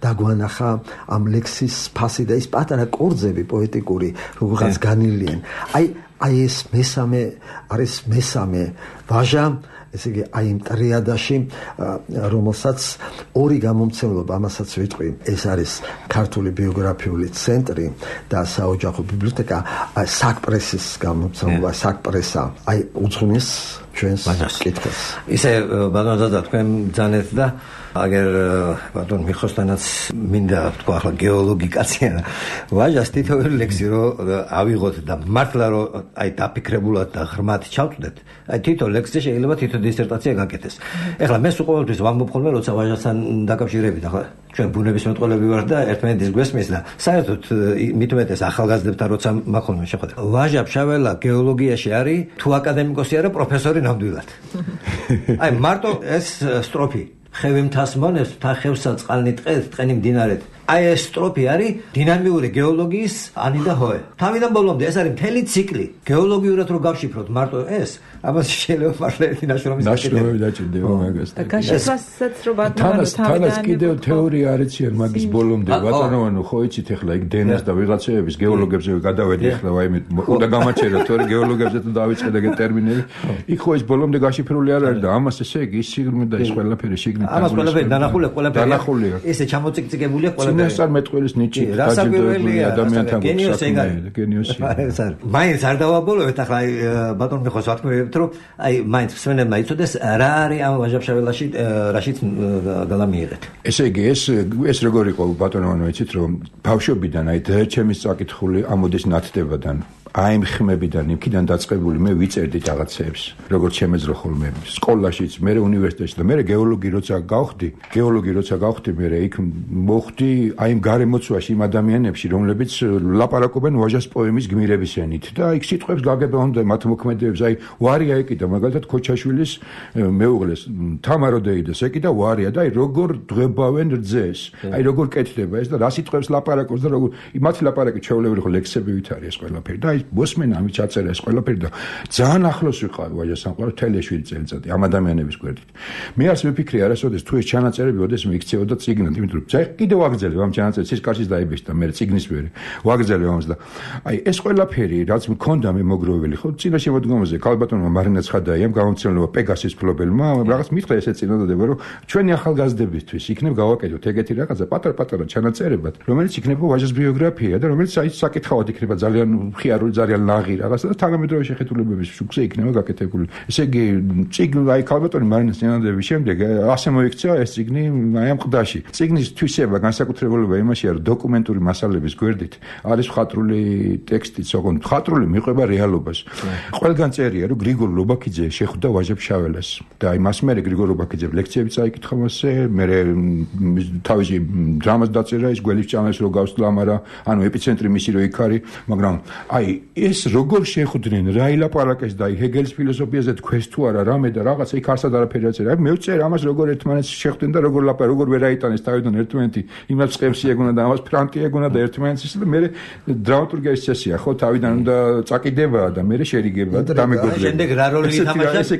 დაგვანახა ამ ლექსის ფასი და ის პატარა კორძები პოეტიკური როგორღაც განილიან აი აი ეს მესამე არის მესამე ვაჟა ესე იგი აი იმ ტრიადაში რომელსაც ორი გამომცემლობა ამასაც ვიტყვი ეს არის ქართული ბიოგრაფიული ცენტრი და საოჯახო ბიბლიოთეკა საკპრესის გამომცემლობა საკპრესა აი უძღვნის ჩვენს კითხვას ისე ბატონო თქვენ ძანეთ და აგერ ბატონ მიხოსთანაც მინდა თქვა ახლა გეოლოგიკაცია ვაჟას თითოეული ლექსი რო ავიღოთ და მართლა რო აი დაფიქრებულად და ღრმად ჩავწვდეთ აი თითო ლექსზე შეიძლება თითო დისერტაცია გაკეთდეს ეხლა მე სულ ყოველთვის ვამბობ ხოლმე როცა ვაჟასთან დაკავშირებით ახლა ჩვენ ბუნებისმეტყველები ვართ და ერთმანეთის გვესმის და საერთოდ მით უმეტეს ახალგაზრდებთან როცა მაქვს ხოლმე შეხვედრა ვაჟა ფშაველა გეოლოგიაში არის თუ აკადემიკოსი არა პროფესორი ნამდვილად აი მარტო ეს სტროფი ხევი მთას მონებს თა ხევსა წყალნი ტყეს ტყენი მდინარეთ აი ეს სტროფი არის დინამიური გეოლოგიის ანი და ჰოე თავიდან ბოლომდე ეს არის მთელი ციკლი გეოლოგიურად რო გავშიფროთ მარტო ეს ამას შეიძლება მართლა ერთი ნაშრომის ნაშრომი დაჭირდება მაგას და გაშიფრასაც რო ბატონო თანაც კიდევ თეორია არიციან მაგის ბოლომდე ბატონო ხო იცით ეხლა იქ დენას და ვიღაცების გეოლოგებზე გადავედი ეხლა ვაიმე უნდა გამაჩერა თორე გეოლოგებზე თუ დავიწყე და ტერმინები იქ ხო ის ბოლომდე გაშიფრული არ არის და ამას ესე იგი ის სიგნი და ის ყველაფერი სიგნი ამას ყველაფერი დანახული ყველაფერი ესე ჩამოციკციკებულია წინასწარმეტყველის ნიჭით დაჯილდოებული ადამიანთან გენიოსი გენიოსი მაინც არ დავაბოლოვეთ ახლა ბატონ მიხოს ვთქვით რომ აი მაინც მსმენელმა იცოდეს რა არის ამ ვაჟა-ფშაველაში რაშიც გადამიიღეთ ესე იგი ეს ეს როგორ იყო ბატონო იცით რომ ბავშვობიდან აი ჩემის წაკითხული ამოდის ნათდებადან აი ხმებიდან იქიდან დაწყებული მე ვიწერდი რაღაცებს როგორც შემეძლო ხოლმე სკოლაშიც მე უნივერსიტეტში და მე გეოლოგი როცა გავხდი გეოლოგი როცა გავხდი მე იქ მოხდი აი გარემოცვაში იმ ადამიანებში რომლებიც ლაპარაკობენ ვაჟას პოემის გმირების ენით და იქ სიტყვებს გაგება უნდა მათ მოქმედებებს აი ვარია ეკიდა მაგალითად ქოჩაშვილის მეუღლეს თამარო დეიდას ეკიდა ვარია და აი როგორ დღებავენ რძეს აი როგორ კეთდება ეს და რა სიტყვებს ლაპარაკობს და როგორ მათი ლაპარაკი ჩვეულებრივი ხო ლექსებივით არის ეს ყველაფერი და მოსმენა ამით ჩაწერა ეს ყველაფერი და ძალიან ახლოს ვიყავი ვაჟასამყაროს თელეშვილი წელიწადი ამ ადამიანების გვერდით. მე არც მიფიქრე არასოდეს თუ ეს ჩანაწერები ოდეს მიიქცეოდა წიგნად, იმიტომ რომ ძაი კიდევ ვაგრძელებ ამ ჩანაწერს სისკარშიც დაიბეჭდა მე წიგნის ვერე. ვაგრძელებ ამას და აი ეს ყველაფერი რაც მქონდა მე მოგროვილი ხო წინა შემოდგომაზე ქალბატონმა მარინა ცხადაიამ გამომცემლობა პეგასის ფლობელმა რაღაც მითხრა ესე წინადადება რომ ჩვენი ახალგაზრდებისთვის იქნებ გავაკეთოთ ეგეთი რაღაცა პატარ-პატარა ჩანაწერებად რომელიც იქნება ვაჟის ბიოგრაფია და რომელიც აი საკითხავად იქნება ძალიან მხიარული ძალიან ლაღი რაღაცა და თანამედროვე შეხედულებების შუქზე იქნება გაკეთებული. ესე იგი, წიგნი აი ქალბატონი მარინას წინადადების შემდეგ ასე მოიქცა ეს წიგნი აი ამ ყდაში. წიგნის თვისება განსაკუთრებულობა იმაშია, რომ დოკუმენტური მასალების გვერდით არის მხატვრული ტექსტიც, ოღონდ მხატვრული მიყვება რეალობას. ყველგან წერია, რომ გრიგორ ლობაქიძე შეხვდა ვაჟა-ფშაველას და აი მას მერე გრიგორ ლობაქიძემ ლექციებიც აიკითხა მასზე, მერე თავისი დრამას დაწერა, ის გველის ჭამას რო გავსწლა, მაგრამ ანუ ეპიცენტრი მისი რო იქ არის, მაგრამ აი ეს როგორ შეხვდნენ რა ილაპარაკეს და აი ჰეგელის ფილოსოფიაზე თქვეს თუ არა რამე და რაღაცა იქ არსად არაფერი აწერა. აი მე ვწერ ამას როგორ ერთმანეთს შეხვდნენ და როგორ ლაპარაკ როგორ ვერ აიტანეს თავიდან ერთმანეთი იმას წემსი ეგონა და ამას ფრანტი ეგონა და ერთმანეთს და მე დრამატურგიის წესია ხო თავიდან უნდა წაკიდება და მე შერიგება და დამეგობრება. შემდეგ რა როლი ითამაშა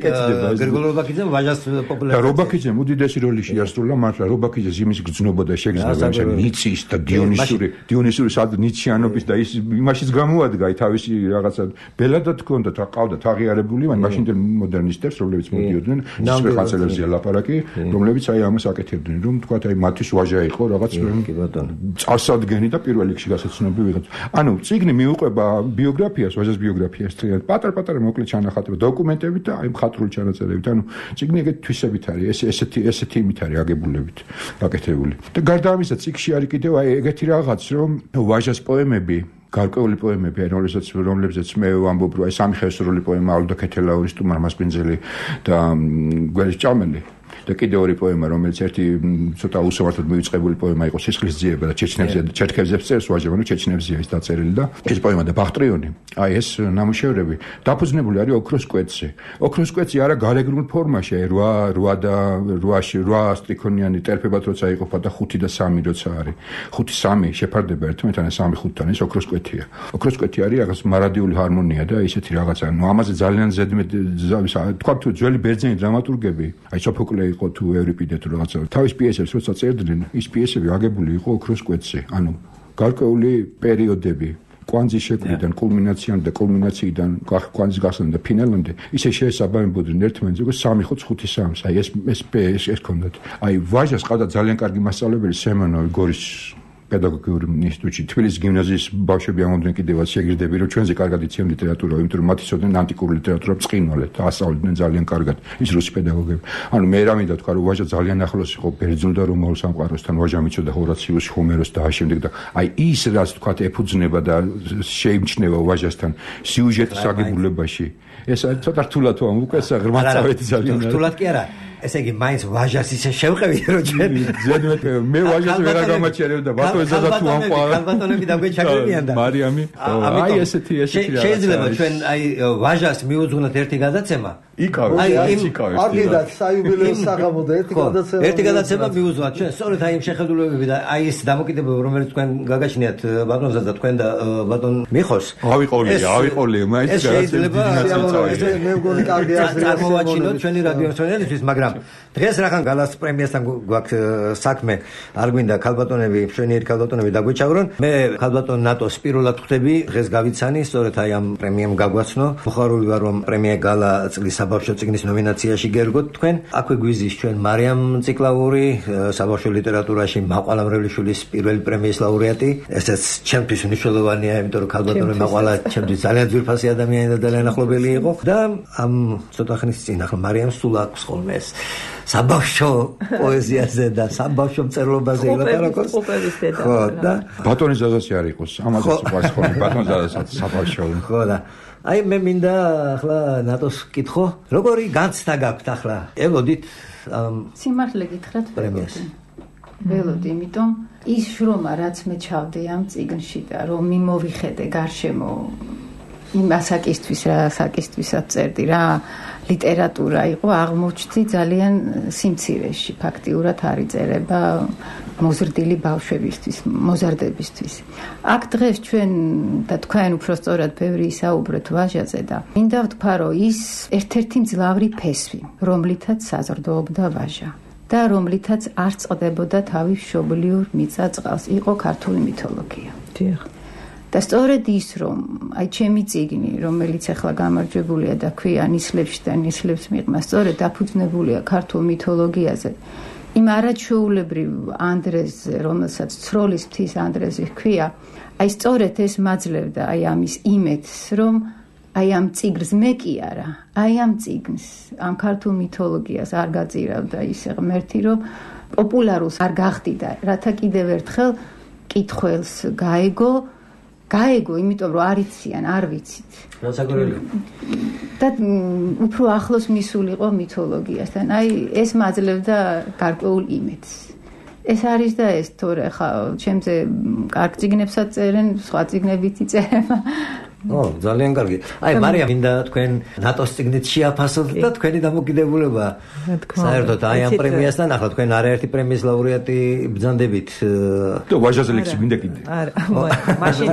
გრიგორ ლობაქიძემ ვაჟას პოპულარიზაციაში. და ლობაქიძემ უდიდესი როლი შეასრულა მაგრამ ლობაქიძეს იმის გრძნობა და შეგრძნება იმ ნიცის და დიონისური დიონისური სად ნიციანობის და ის იმაშიც გამოადგა თავისი რაღაცა ბელადად ჰქონდა და ყავდათ აღიარებული მაშინ მოდერნისტებს რომლებიც მოდიოდნენ ისე ხანძრებზე ლაპარაკი რომლებიც აი ამას აკეთებდნენ რომ თქვა აი მათთვის ვაჟა იყო რაღაც წარსადგენი და პირველ რიგში გასაცნობი ვიღაც ანუ წიგნი მიუყვება ბიოგრაფიას ვაჟას ბიოგრაფიას თრიად პატარ-პატარა მოკლე ჩანახატები დოკუმენტებით და აი მხატვრული ჩანაწერებით ანუ წიგნი ეგეთ თვისებით არის ეს ესეთი ესეთი იმით არის აგებულებით გაკეთებული და გარდა ამისა წიგნში არის კიდევ აი ეგეთი რაღაც რომ ვაჟას პოემები გარკვეული პოემები რომელსაც რომლებზეც მე ვამბობ რომ აი სამი ხევსურული პოემა ალდო ქეთელაურის ტუმარ მასპინძელი და გველის ჭამელი და კიდევ ორი პოემა რომელიც ერთი ცოტა უსამართლოდ მივიწყებული პოემა იყო სისხლის ძიება და ჩეჩნებზე ჩერქევზებს წერს ვაჟებანი ჩეჩნებზია ის დაწერილი და ეს პოემა და ბახტრიონი აი ეს ნამუშევრები დაფუძნებული არის ოქროს კვეთზე ოქროს კვეთზე არა გარეგნულ ფორმაში აი რვა რვა და რვაში რვა სტრიქონიანი ტერფებად როცა იყოფა და ხუთი და სამი როცა არის ხუთი სამი შეფარდება ერთმანეთთან სამი ხუთთან ეს ოქროს კვეთია ოქროს კვეთი არის რაღაც მარადიული ჰარმონია და ისეთი რაღაცა ნუ ამაზე ძალიან ზედმეტ თქვა თუ ძველი ბერძენი დრამატურგები აი სოფოკლე იყო თუ ევრიპიდე თუ რაღაცა თავის პიესებს როცა წერდნენ ის პიესები აგებული იყო ოქროს კვეთზე ანუ გარკვეული პერიოდები კვანძის შექმნიდან კულმინაციამდე და კულმინაციიდან კვანძის გასვლამდე და ფინალამდე ისე შეესაბამებოდნენ ერთმანეთს როგორც სამი ხუთი ხუთი სამს აი ეს ეს ეს ჰქონდათ აი ვაჟას ყავდა ძალიან კარგი მასწავლებელი სემენოვი გორის პედაგოგიური ინსტიტუტში თბილისის გიმნაზიის ბავშვები ამოდნენ კიდევაც შეგირდები რომ ჩვენზე კარგად იციან ლიტერატურა იმიტომ რომ მათი ცოდნენ ანტიკური ლიტერატურა ბრწყინვალე და ასწავლიდნენ ძალიან კარგად ის რუსი პედაგოგები ანუ მე რა მინდა თქვა რომ ვაჟა ძალიან ახლოს იყო ბერძნულ და რომაულ სამყაროსთან ვაჟა მიცოდა ჰორაციუსს ჰომეროს და ამავდროულად და აი ის რაც თქვა ეფუძნება და შეიმჩნევა ვაჟასთან სიუჟეტის აგებულებაში ეს ცოტა რთულად ვამ უკვე ღრმად წავედი ძალიან რთულად კი არა ესე იგი მაინც ვაჟას ისე შევყევი რომ ჩვენ ზედმეტ მე ვაჟას ვერ გამაჩერებ და ბატონი ზადა თუ ამყარა ბატონები დაგვეჩაგებიან და მარიამი აი ესეთი ესეთი რა შეიძლება ჩვენ აი ვაჟას მიუძღვნოთ ერთი გადაცემა იკავე აი იკავე არ გიდათ საიუბილეო საღამოდა ერთი გადაცემა ერთი გადაცემა მიუძღვნათ ჩვენ სწორედ აი იმ შეხედულებები და აი ეს დამოკიდებულება რომელიც თქვენ გაგაჩნიათ ბატონ ზადა თქვენ და ბატონ მიხოს ავიყოლია ავიყოლია მაინც შეიძლება მე მგონი კარგი აზრია წარმოვაჩინოთ ჩვენი რადიო მსმენელებისთვის მაგრამ დღეს რახან გალას პრემიასთან გვაქვს საქმე არ გვინდა ქალბატონები მშვენიერი ქალბატონები დაგვეჩაგრონ მე ქალბატონ ნატოს პირველად ხვდები დღეს გავიცანი სწორედ აი ამ პრემიამ გაგვაცნო მოხარული ვარ რომ პრემია გალა წლის საბავშვო წიგნის ნომინაციაში გერგოთ თქვენ. აქვე გვიზის ჩვენ მარიამ ციკლაური, საბავშვო ლიტერატურაში მაყვალა მრევლიშვილის პირველი პრემიის ლაურეატი. ესეც ჩემთვის მნიშვნელოვანია, იმიტომ რომ ქალბატონი მაყვალა ჩემთვის ძალიან ძვირფასი ადამიანი და ძალიან ახლობელი იყო და ამ ცოტა ხნის წინ ახლა მარიამს სულ აქვს ხოლმე ეს საბავშვო პოეზიაზე და საბავშვო მწერლობაზე ილაპარაკოს. ხო და ბატონის ზაზაში არ იყოს, ამასაც უყვარს ხოლმე ბატონის ზაზასაც საბავშვო. ხო და აი მე მინდა ახლა ნატოს კითხო, როგორი განცდა გაქვთ ახლა? ელოდით სიმართლე გითხრათ პრემიას. ველოდი, იმიტომ ის შრომა რაც მე ჩავდე ამ წიგნში და რომ მიმოვიხედე გარშემო იმ ასაკისთვის რა ასაკისთვისაც წერდი რა ლიტერატურა იყო აღმოჩნდი ძალიან სიმცირეში ფაქტიურად არ იწერება მოზრდილი ბავშვებისთვის მოზარდებისთვის აქ დღეს ჩვენ და თქვენ უფრო სწორად ბევრი ისაუბრეთ ვაჟაზე და მინდა ვთქვა რომ ის ერთ-ერთი მძლავრი ფესვი რომლითაც საზრდოობდა ვაჟა და რომლითაც არ წყდებოდა თავის მშობლიურ მიწა-წყალს იყო ქართული მითოლოგია დიახ და სწორედ ის რომ აი ჩემი წიგნი რომელიც ახლა გამარჯვებულია და ქვია ნისლებში და ნისლებს მიღმა სწორედ დაფუძნებულია ქართულ მითოლოგიაზე იმ არაჩვეულებრივ ანდრეზზე რომელსაც ცროლის მთის ანდრეზი ჰქვია აი სწორედ ეს მაძლევდა აი ამის იმედს რომ აი ამ წიგნს მე კი არა აი ამ წიგნს ამ ქართულ მითოლოგიას არ გაწირავდა ისე ღმერთი რომ პოპულარულს არ გახდიდა რათა კიდევ ერთხელ კითხველს გაეგო გაეგო, იმიტომ რომ არ იციან, არ ვიცით. რასაკურველი. და უფრო ახლოს მისულიყო მითოლოგიასთან. აი, ეს მაძლევდა გარკვეულ იმედს. ეს არის და ეს თორე ხა ჩემზე კარგ წიგნებსაც წერენ, სხვა წიგნებიც იწერება. ო, ძალიან კარგი. აი, მარიამ, მინდა თქვენ ნატოს წიგნით შეაფასოთ და თქვენი დამოკიდებულება. საერთოდ აი ამ პრემიასთან ახლა თქვენ არაერთი პრემიის ლაურეატი ბრძანდებით. და ვაჟაზე ლექსი მინდა კიდე. არა, მაშინ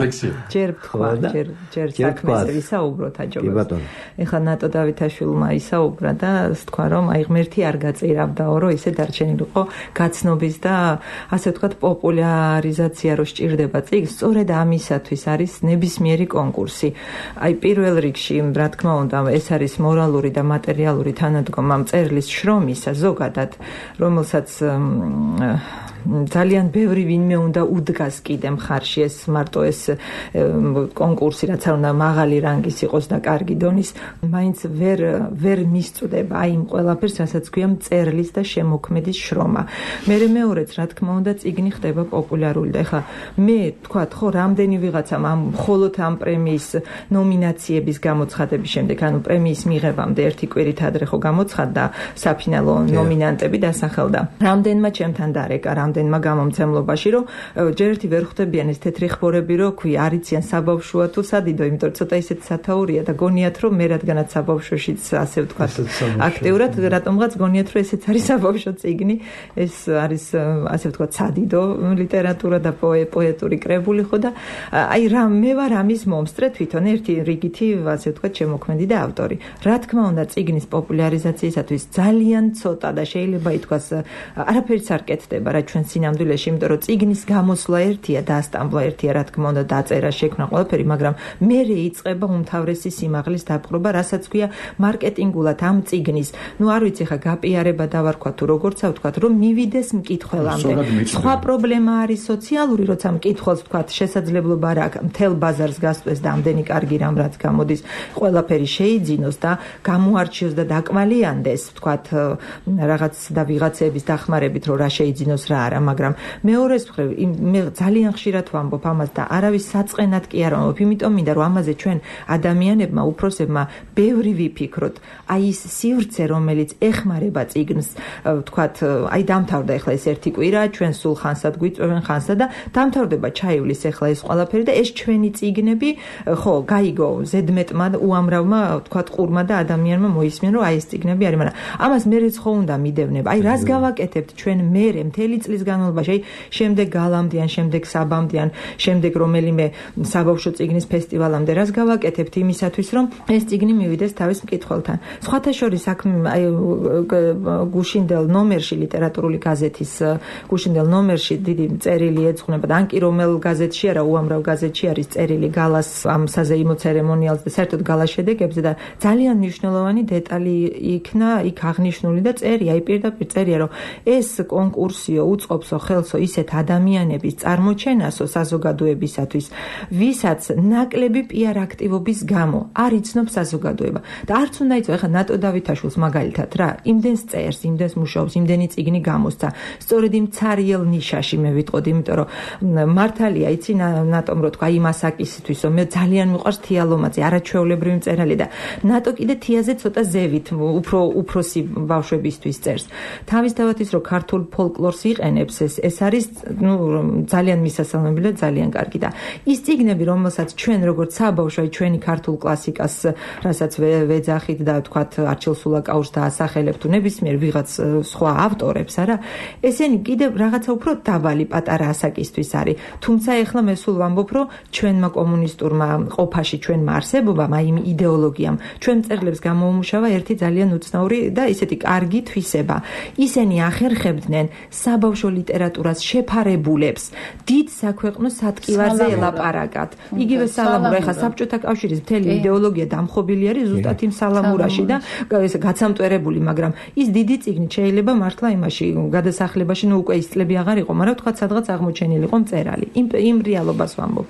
ჯერ თქვა, ჯერ ჯერ საქმეზე ვისაუბროთ აჯობებს. ეხლა ნატო დავითაშვილმა ისაუბრა და თქვა რომ აი ღმერთი არ გაწირავდაო, რომ ისე დარჩენილიყო გაცნობის და ასე ვთქვათ პოპულარიზაცია რო სჭირდება წიგნს, სწორედ ამისათვის არის ნებისმიერი კონკურსი. აი პირველ რიგში რა თქმა უნდა ეს არის მორალური და მატერიალური თანადგომა მწერლის შრომისა ზოგადად რომელსაც ძალიან ბევრი ვინმე უნდა უდგას კიდე მხარში ეს მარტო ეს კონკურსი რაც არ უნდა მაღალი რანგის იყოს და კარგი დონის მაინც ვერ ვერ მისწვდება აი იმ ყველაფერს რასაც ქვია მწერლის და შემოქმედის შრომა მე მეორეც რა თქმა უნდა წიგნი ხდება პოპულარული და ეხლა მე თქვათ ხო რამდენი ვიღაცამ ამ მხოლოდ ამ პრემიის ნომინაციების გამოცხადების შემდეგ ანუ პრემიის მიღებამდე ერთი კვირით ადრე ხო გამოცხადდა საფინალო ნომინანტები დასახელდა რამდენმა ჩემთან დარეკა რამდენმა გამომცემლობაში რომ ჯერ ერთი ვერ ხვდებიან ეს თეთრი ხბორები რომ ქვი არიციან საბავშვოა თუ სადიდო იმიტომ რომ ცოტა ისეთ სათაურია და გონიათ რომ მე რადგანაც საბავშვოშიც ასე ვთქვათ აქტიურად რატომღაც გონიათ რომ ესეც არის საბავშვო წიგნი ეს არის ასე ვთქვათ სადიდო ლიტერატურა და პოეტური კრებული ხო და აი რა მე ვარ ამის მომსწრე თვითონ ერთი რიგითი ასე ვთქვათ შემოქმედი და ავტორი რა თქმა უნდა წიგნის პოპულარიზაციისათვის ძალიან ცოტა და შეიძლება ითქვას არაფერიც არ კეთდება რა ჩვენ სინამდვილეში იმიტომ რომ წიგნის გამოსვლა ერთია და ასტამბლა ერთია რა თქმა უნდა დაწერა შექმნა ყველაფერი მაგრამ მერე იწყება უმთავრესი სიმაღლის დაპყრობა რასაც ქვია მარკეტინგულად ამ წიგნის ნუ არ ვიცი ხა გაპიარება დავარქვა თუ როგორცა ვთქვათ რომ მივიდეს მკითხველამდე სხვა პრობლემა არის სოციალური როცა მკითხველს ვთქვათ შესაძლებლობა არ აქვს მთელ ბაზარს გასწვეს და ამდენი კარგი რამ რაც გამოდის ყველაფერი შეიძინოს და გამოარჩიოს და დაკმალიანდეს ვთქვათ რაღაც და ვიღაცების დახმარებით რომ რა შეიძინოს რა არა მაგრამ მეორეს მხრივ მე ძალიან ხშირად ვამბობ ამას და არავის საწყენად კი არ ვამბობ იმიტომ მინდა რომ ამაზე ჩვენ ადამიანებმა უფროსებმა ბევრი ვიფიქროთ აი ის სივრცე რომელიც ეხმარება წიგნს ვთქვათ აი დამთავრდა ახლა ეს ერთი კვირა ჩვენ სულ ხანსად გვიწვევენ ხანსა და დამთავრდება ჩაივლის ახლა ეს ყველაფერი და ეს ჩვენი წიგნები ხო გაიგო ზედმეტმა უამრავმა ვთქვათ ყურმა და ადამიანმა მოისმენ რომ აი ეს წიგნები არის მაგრამ ამას მერეც ხო უნდა მიდევნებ აი რას გავაკეთებთ ჩვენ მერე მთელი წლის წლის განმავლობაში, აი შემდეგ გალამდე ან შემდეგ საბამდე ან შემდეგ რომელიმე საბავშვო წიგნის ფესტივალამდე რას გავაკეთებთ იმისათვის, რომ ეს წიგნი მივიდეს თავის მკითხველთან. სხვათა შორის საქმე აი გუშინდელ ნომერში ლიტერატურული გაზეთის გუშინდელ ნომერში დიდი წერილი ეძღვნება და ან კი რომელ გაზეთში არა, უამრავ გაზეთში არის წერილი გალას ამ საზეიმო ცერემონიალზე და საერთოდ გალას შედეგებზე და ძალიან მნიშვნელოვანი დეტალი იქნა იქ აღნიშნული და წერია, აი პირდაპირ წერია, რომ ეს კონკურსიო უწყობსო ხელსო ისეთ ადამიანების წარმოჩენასო საზოგადოებისათვის, ვისაც ნაკლები პიარ აქტივობის გამო არ იცნობს საზოგადოება და არც უნდა იცო, ეხლა ნატო დავითაშვილს მაგალითად რა, იმდენს წერს, იმდენს მუშაობს, იმდენი წიგნი გამოსცა, სწორედ იმ ცარიელ ნიშაში მე ვიტყოდი, იმიტომ რომ მართალია, იცი ნატომ რო თქვა იმ ასაკისთვის, რომ მე ძალიან მიყვარს თიალომაძე, არაჩვეულებრივი მწერალი და ნატო კიდე თიაზე ცოტა ზევით უფრო უფროსი ბავშვებისთვის წერს. თავისთავად ის რომ ქართულ ფოლკლორს იყენებს, ეს ეს არის ნუ ძალიან მისასალმებელი და ძალიან კარგი და ის წიგნები, რომელსაც ჩვენ როგორც საბავშვო, ჩვენი ქართულ კლასიკას, რასაც ვეძახით და თქვათ არჩილ სულაკაურს დაასახელებ თუ ნებისმიერ ვიღაც სხვა ავტორებს, არა? ესენი კიდე რაღაცა უფრო დაბალი პატარა ასაკისთვის არის. თუმცა ეხლა მე სულ ვამბობ, რომ ჩვენმა კომუნისტურმა ყოფაში, ჩვენმა არსებობამ, აი იმ იდეოლოგიამ, ჩვენ მწერლებს გამოუმუშავა ერთი ძალიან უცნაური და ისეთი კარგი თვისება. ისინი ახერხებდნენ საბავშვო ლიტერატურას შეფარებულებს დიდ საქვეყნო სატკივარზე ელაპარაკათ. იგივე სალამურა, ეხლა საბჭოთა კავშირის მთელი იდეოლოგია დამხობილი არის ზუსტად იმ სალამურაში და ეს გაცამტვერებული, მაგრამ ის დიდი წიგნი შეიძლება მართლა იმაში გადასახლებაში, ნუ უკვე ის წლები აღარ იყო, მაგრამ თქვა სადღაც აღმოჩენილი იყო მწერალი. იმ იმ რეალობას ვამბობ.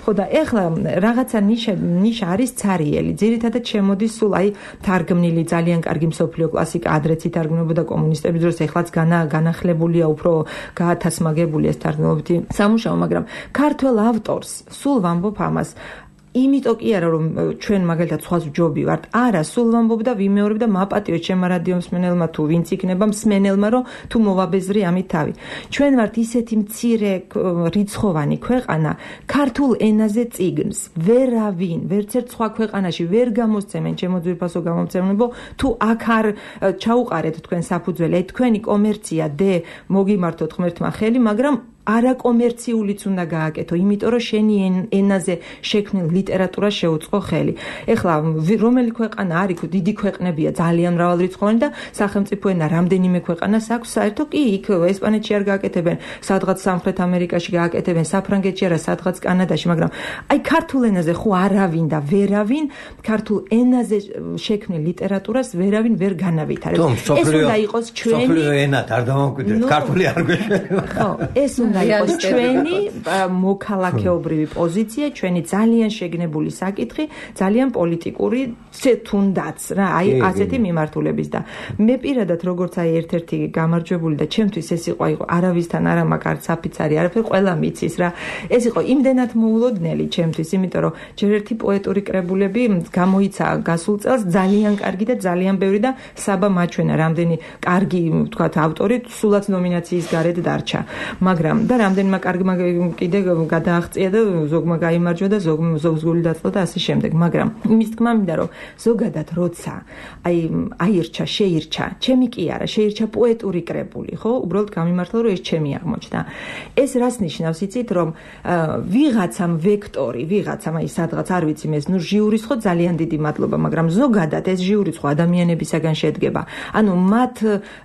ხო და ეხლა რაღაცა ნიშა ნიშა არის ცარიელი. ძირითადად შემოდის სულ აი თარგმნილი ძალიან კარგი მსოფლიო კლასიკა, ადრეც ითარგმნებოდა კომუნისტების დროს, ეხლაც განა განახლებულია, უფრო გაათასმაგებულია ეს თარგმნობითი სამუშაო, მაგრამ ქართველ ავტორს სულ ვამბობ ამას. იმიტომ კი არა რომ ჩვენ მაგალითად სხვას ვჯობი ვართ, არა, სულ ვამბობ და ვიმეორებ და მაპატიო ჩემმა რადიო მსმენელმა თუ ვინც იქნება მსმენელმა, რომ თუ მოვაბეზრი ამით თავი. ჩვენ ვართ ისეთი მცირე რიცხოვანი ქვეყანა, ქართულ ენაზე წიგნს ვერავინ, ვერცერთ სხვა ქვეყანაში ვერ გამოსცემენ, ჩემო ძვირფასო გამომცემლებო, თუ აქ არ ჩაუყარეთ თქვენ საფუძველი, აი თქვენი კომერცია დე მოგიმართოთ ღმერთმა ხელი, მაგრამ არაკომერციულიც უნდა გააკეთო, იმიტომ რომ შენი ენაზე შექმნილ ლიტერატურას შეუწყო ხელი. ეხლა რომელი ქვეყანა არის, დიდი ქვეყნებია, ძალიან მრავალრიცხოვანი და სახელმწიფო ენა რამდენიმე ქვეყანას აქვს, საერთოდ კი იქ ესპანეთში არ გააკეთებენ, სადღაც სამხრეთ ამერიკაში გააკეთებენ, საფრანგეთში არა, სადღაც კანადაში, მაგრამ აი ქართულ ენაზე ხო არავინ და ვერავინ ქართულ ენაზე შექმნილ ლიტერატურას ვერავინ ვერ განავითარებს. ეს უნდა იყოს ჩვენი სოფლიო ენად არ დამოუკიდეთ, ქართული არ გვეშველება. ხო, ეს უნდა იყოს ჩვენი მოქალაქეობრივი პოზიცია, ჩვენი ძალიან შეგნებული საკითხი, ძალიან პოლიტიკური თუნდაც რა, აი ასეთი მიმართულების და მე პირადად როგორც აი ერთ-ერთი გამარჯვებული და ჩემთვის ეს იყო აი არავისთან არა მაგარ საფიცარი, არაფერი ყველა მიცის რა. ეს იყო იმდენად მოულოდნელი ჩემთვის, იმიტომ რომ ჯერ ერთი პოეტური კრებულები გამოიცა გასულ წელს ძალიან კარგი და ძალიან ბევრი და საბა მაჩვენა რამდენი კარგი ვთქვათ ავტორი სულაც ნომინაციის გარეთ დარჩა. მაგრამ და რამდენმა კარგმა კიდე გადააღწია და ზოგმა გაიმარჯვა და ზოგ ზოგს გული დაწვა და ასე შემდეგ. მაგრამ იმის თქმა მინდა რომ ზოგადად როცა აი აირჩა, შეირჩა, ჩემი კი არა, შეირჩა პოეტური კრებული, ხო? უბრალოდ გამიმართლა რომ ეს ჩემი აღმოჩნდა. ეს რას ნიშნავს, იცით, რომ ვიღაცამ ვექტორი, ვიღაცამ აი სადღაც არ ვიცი მე, ნუ ჟიურის ხო ძალიან დიდი მადლობა, მაგრამ ზოგადად ეს ჟიურიც ხო ადამიანებისაგან შედგება. ანუ მათ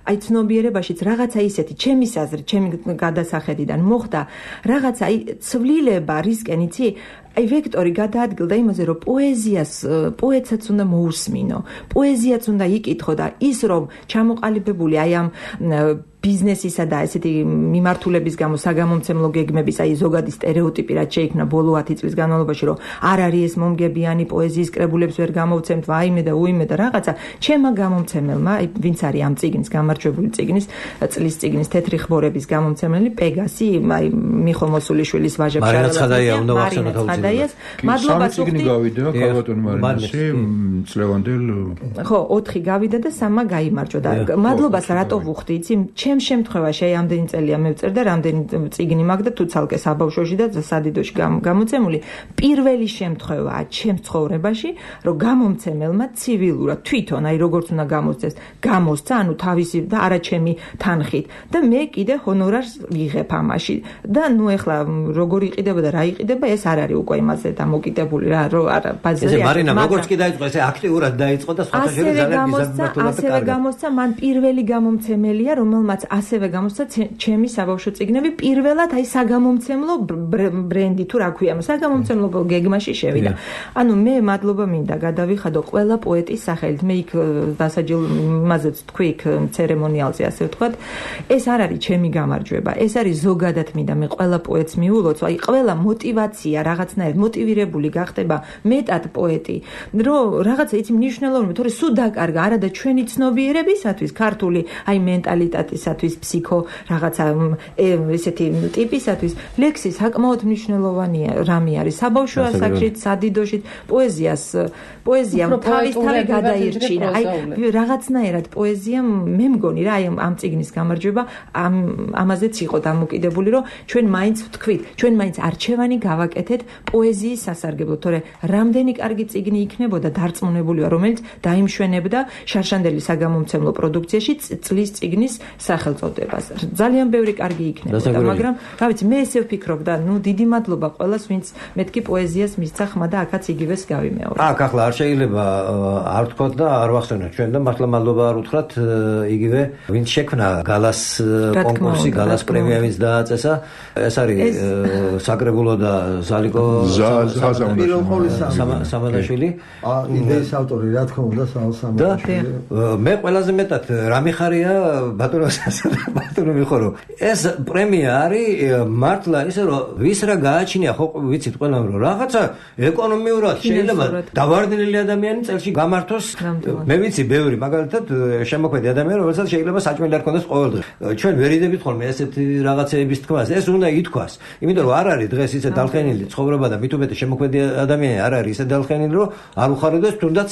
აი ცნობიერებაშიც რაღაცა ისეთი ჩემის აზრით, ჩემი გადასახედიდან მოხდა რაღაცა აი ცვლილება რისკენ, იცი? აი ვექტორი გადაადგილდა იმაზე, რომ პოეზიას პოეტსაც უნდა მოусმინო, პოეზიაც უნდა იკითხო და ის რომ ჩამოყალიბებული აი ამ ბიზნესისა და ესეთი მიმართულების გამო საგამომცემლო გეგმების აი ზოგადი სტერეოტიპი რაც შეიქმნა ბოლო ათი წლის განმავლობაში, რომ არ არის ეს მომგებიანი პოეზიის კრებულებს ვერ გამოვცემთ, ვაიმე და უიმე და რაღაცა, ჩემმა გამომცემელმა, აი ვინც არის ამ წიგნის გამარჯვებული წიგნის, წლის წიგნის თეთრი ხბორების გამომცემელი პეგასი, აი მიხო მოსულიშვილის ვაჟა მარინა ცხადაია უნდა ვახსენოთ ცხადაიას, მადლობა წიგნი გავიდა ქალბატონ მარინაში წლევანდელ. ხო, ოთხი გავიდა და სამმა გაიმარჯვა და მადლობას რატო ვუხდი, იცი? ჩემ შემთხვევაში აი ამდენი წელია მევწერ და რამდენი წიგნი მაქვს და თუ ცალკე საბავშვოში და სადიდოში გამოცემული პირველი შემთხვევაა ჩემს ცხოვრებაში, რომ გამომცემელმა ცივილურად თვითონ აი როგორც უნდა გამოსცეს, გამოსცა, ანუ თავისი და არა ჩემი თანხით და მე კიდე ჰონორარს ვიღებ ამაში და ნუ ეხლა როგორ იყიდება და რა იყიდება, ეს არ არის უკვე იმაზე დამოკიდებული რა, რომ არა ბაზარი. ესე მარინამ როგორც კი დაიწყო, ესე აქტიურად დაიწყო და სხვათა შორის ძალიან მიზანმიმართულად და ასევე გამოსცა მან პირველი გამომცემელია, რომელმაც ასევე გამოსცა ჩემი საბავშვო წიგნები პირველად აი საგამომცემლო ბრენდი თუ რა ქვია, საგამომცემლო გეგმაში შევიდა. ანუ მე მადლობა მინდა გადავიხადო ყველა პოეტის სახელით. მე იქ დასაჯილ იმაზეც თქვი იქ ცერემონიალზე ასე ვთქვათ. ეს არ არის ჩემი გამარჯვება. ეს არის ზოგადად მინდა მე ყველა პოეტს მიულოცო. აი ყველა мотиваცია რაღაცნაირად мотивირებული გახდება მეტად პოეტი. რომ რაღაცა იცი მნიშვნელოვანი, თორე სულ დაკარგა არა და ჩვენი ცნობიერებისათვის, ქართული აი მენტალიტეტისათვის, ფსიქო რაღაცა ესეთი ტიპისათვის ლექსი საკმაოდ მნიშვნელოვანია რამე არის. საბავშვო ასაკშიც, სადიდოშიც პოეზიას პოეზიამ თავის თავი გადაირჩინა. აი რაღაცნაირად პოეზიამ მე მგონი რა აი ამ წიგნის გამარჯვება ამ ამაზეც იყო დამოკიდებული, რომ ჩვენ მაინც ვთქვით, ჩვენ მაინც არჩევანი გავაკეთეთ პოეზიის სასარგებლოდ, თორე რამდენი კარგი წიგნი იქნებოდა დარწმუნებული ვარ, რომელიც დაიმშვენებდა შარშანდელი საგამომცემლო პროდუქციაში წლის წიგნის სახელწოდებას. ძალიან ბევრი კარგი იქნებოდა, მაგრამ რა ვიცი, მე ესე ვფიქრობ და ნუ დიდი მადლობა ყველას, ვინც მეთქი პოეზიას მისცა ხმა და აქაც იგივეს გავიმეორე. აქ ახლა არ შეიძლება არ ვთქვათ და არ ვახსენოთ ჩვენ და მართლა მადლობა არ უთხრათ იგივე ვინც შექმნა გალას კონკურსი, გალას პრემია ვინც დააწესა. ეს არის საკრებულო და ზალიკო სამადაშვილი. იდეის ავტორი რა თქმა უნდა სამადაშვილი. მე ყველაზე მეტად რა მიხარია ბატონო ბატონო მიხორო. ეს პრემია არის მართლა ისე რომ ვის რა გააჩნია ხო ვიცით ყველამ რომ რაღაცა ეკონომიურად შეიძლება დავარდნილი ადამიანი წელში გამართოს. მე ვიცი ბევრი მაგალითად შემოქმედი ადამიანი რომელსაც შეიძლება საჭმელი არ ქონდეს ყოველდღე. ჩვენ ვერიდებით ხოლმე ესეთი რაღაცეების თქმას. ეს უნდა ითქვას. იმიტომ რომ არ არის დღეს ისე დალხენილი ცხოვრება და მით უმეტეს შემოქმედი ადამიანი არ არის ისე დალხენილი რომ არ უხარებდეს თუნდაც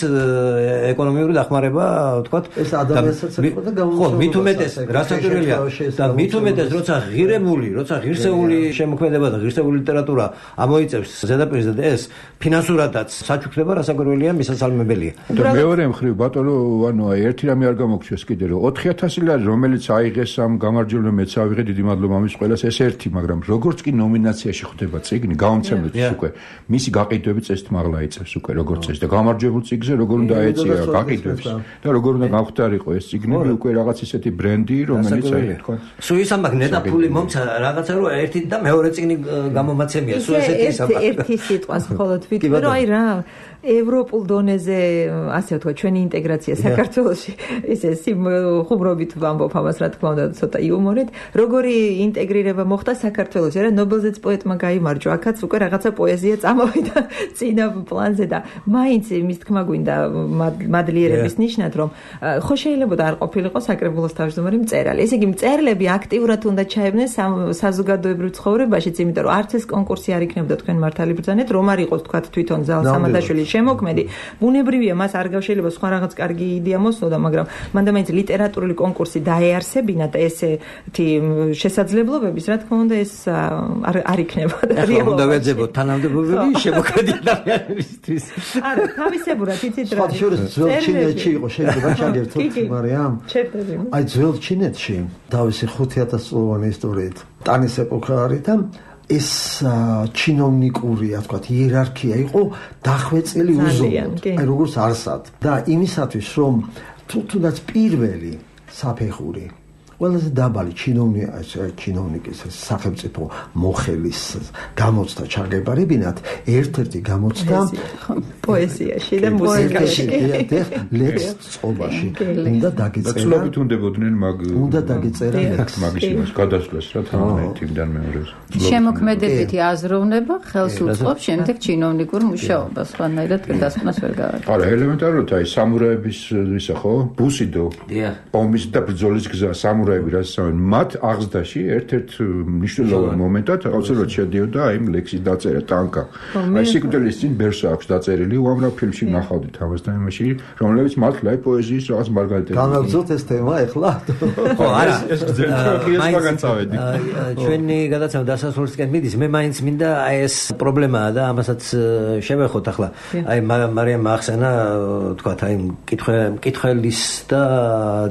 ეკონომიური დახმარება ვთქვათ. ეს ადამიანსაც ეხება და ხო მით უმეტეს რასაკვირველია და მით უმეტეს როცა ღირებული, როცა ღირსეული შემოქმედება და ღირსეული ლიტერატურა ამოიწევს ზედაპირზე და ეს ფინანსურადაც საჩუქრება რასაკვირველია მისასალმებელია. მეორე მხრივ ბატონო ანუ აი ერთი რამე არ გამოგჩეს კიდე რომ ოთხი ათასი ლარი რომელიც აიღეს ამ გამარჯვებამ მეც ავიღე დიდი მადლობა ამის ყველას ეს ერთი მაგრამ როგორც კი ნომინაციაში ხვდება წიგნი გამომცემლიც უკვე მისი გაყიდვები წესით მაღლა იწევს უკვე როგორც წესი და გამარჯვებულ წიგნზე როგორ უნდა ეწია გაყიდვებს და როგორ უნდა გავხდარიყო ეს წიგნები უკვე რაღაც ისეთი ბრენდი რომელიც აი თქვა სულ ის ამბაკ ნეტაფული მომცა რაღაცა რომ ერთი და მეორე წიგნი გამომაცემია სულ ესეთი ის ამბაკ ერთი სიტყვას მხოლოდ ვიტყვი რომ აი რა ევროპულ დონეზე ასე ვთქვა ჩვენი ინტეგრაცია საქართველოში ესე ხუმრობით ვამბობ ამას რა თქმა უნდა ცოტა იუმორით როგორი ინტეგრირება მოხდა საქართველოში რა ნობელზეც პოეტმა გაიმარჯვა აქაც უკვე რაღაცა პოეზია წამოვიდა წინა პლანზე და მაინც იმის თქმა გვინდა მადლიერების ნიშნად რომ ხო შეიძლება და არ ყოფილიყო საკრებულოს თავმჯდომარე მწერალი ესე იგი მწერლები აქტიურად უნდა ჩაებნენ საზოგადოებრივ ცხოვრებაშიც იმიტომ რომ არც ეს კონკურსი არ იქნებოდა თქვენ მართალი ბრძანეთ რომ არ იყოს თქვა თვითონ ზალ სამადაშვილი შემოქმედი ბუნებრივია მას არ გავშელება სხვა რაღაც კარგი იდეა მოსნოდა მაგრამ მანდა მაინც ლიტერატურული კონკურსი დაეარსებინა და ესეთი შესაძლებლობების რა თქმა უნდა ეს არ არ იქნება და რეალურად უნდა ვეძებოთ თანამდებობები შემოქმედი ადამიანებისთვის არა თავისებურად იცით რა ძველ ჩინეთში იყო შეიძლება ჩაგერთოთ მარიამ აი ძველ ჩინეთში თავისი ხუთი ათას წლოვანი ისტორიით ტანის ეპოქა არის და ეს ჩინოვნიკური, ასე ვთქვათ, იერარქია იყო დახვეწილი უზომოდ. აი როგორც არსად. და იმისათვის, რომ თუნდაც პირველი საფეხური ყველაზე დაბალი ჩინოვნიკ ჩინოვნიკის სახელმწიფო მოხელის გამოცდა ჩაგებარებინათ ერთ-ერთი გამოცდა პოეზიაში და მუსიკაში ლექს წყობაში უნდა დაგიწერა ცნობით უნდებოდნენ მაგ უნდა დაგიწერა ლექს მაგის გადასვლას რა თანამედროვეობიდან მეორეს შემოქმედებითი აზროვნება ხელს უწყობს შემდეგ ჩინოვნიკურ მუშაობას სხვანაირად დასკვნას ვერ გავაკეთებ არა ელემენტარულად აი სამურაების ისა ხო ბუსიდო ომის და ბრძოლის გზა სამურაი უამრავი რასავენ მათ აღზრდაში ერთ-ერთ მნიშვნელოვან მომენტად აუცილებლად შედიოდა აი ლექსის დაწერა ტანკა. აი სიკვდილის წინ ბერსა აქვს დაწერილი უამრავ ფილმში ნახავდით ამას და იმაში რომლებიც მართლა აი პოეზიის რაღაც მარგალიტები. განაგზოთ ეს თემა ეხლა? ხო, არა, ეს გზერდა მაგან წავედი. ჩვენი გადაცემა დასასრულისკენ მიდის. მე მაინც მინდა აი ეს პრობლემაა და ამასაც შევეხოთ ახლა. აი მარიამ ახსენა თქვათ აი მკითხველის და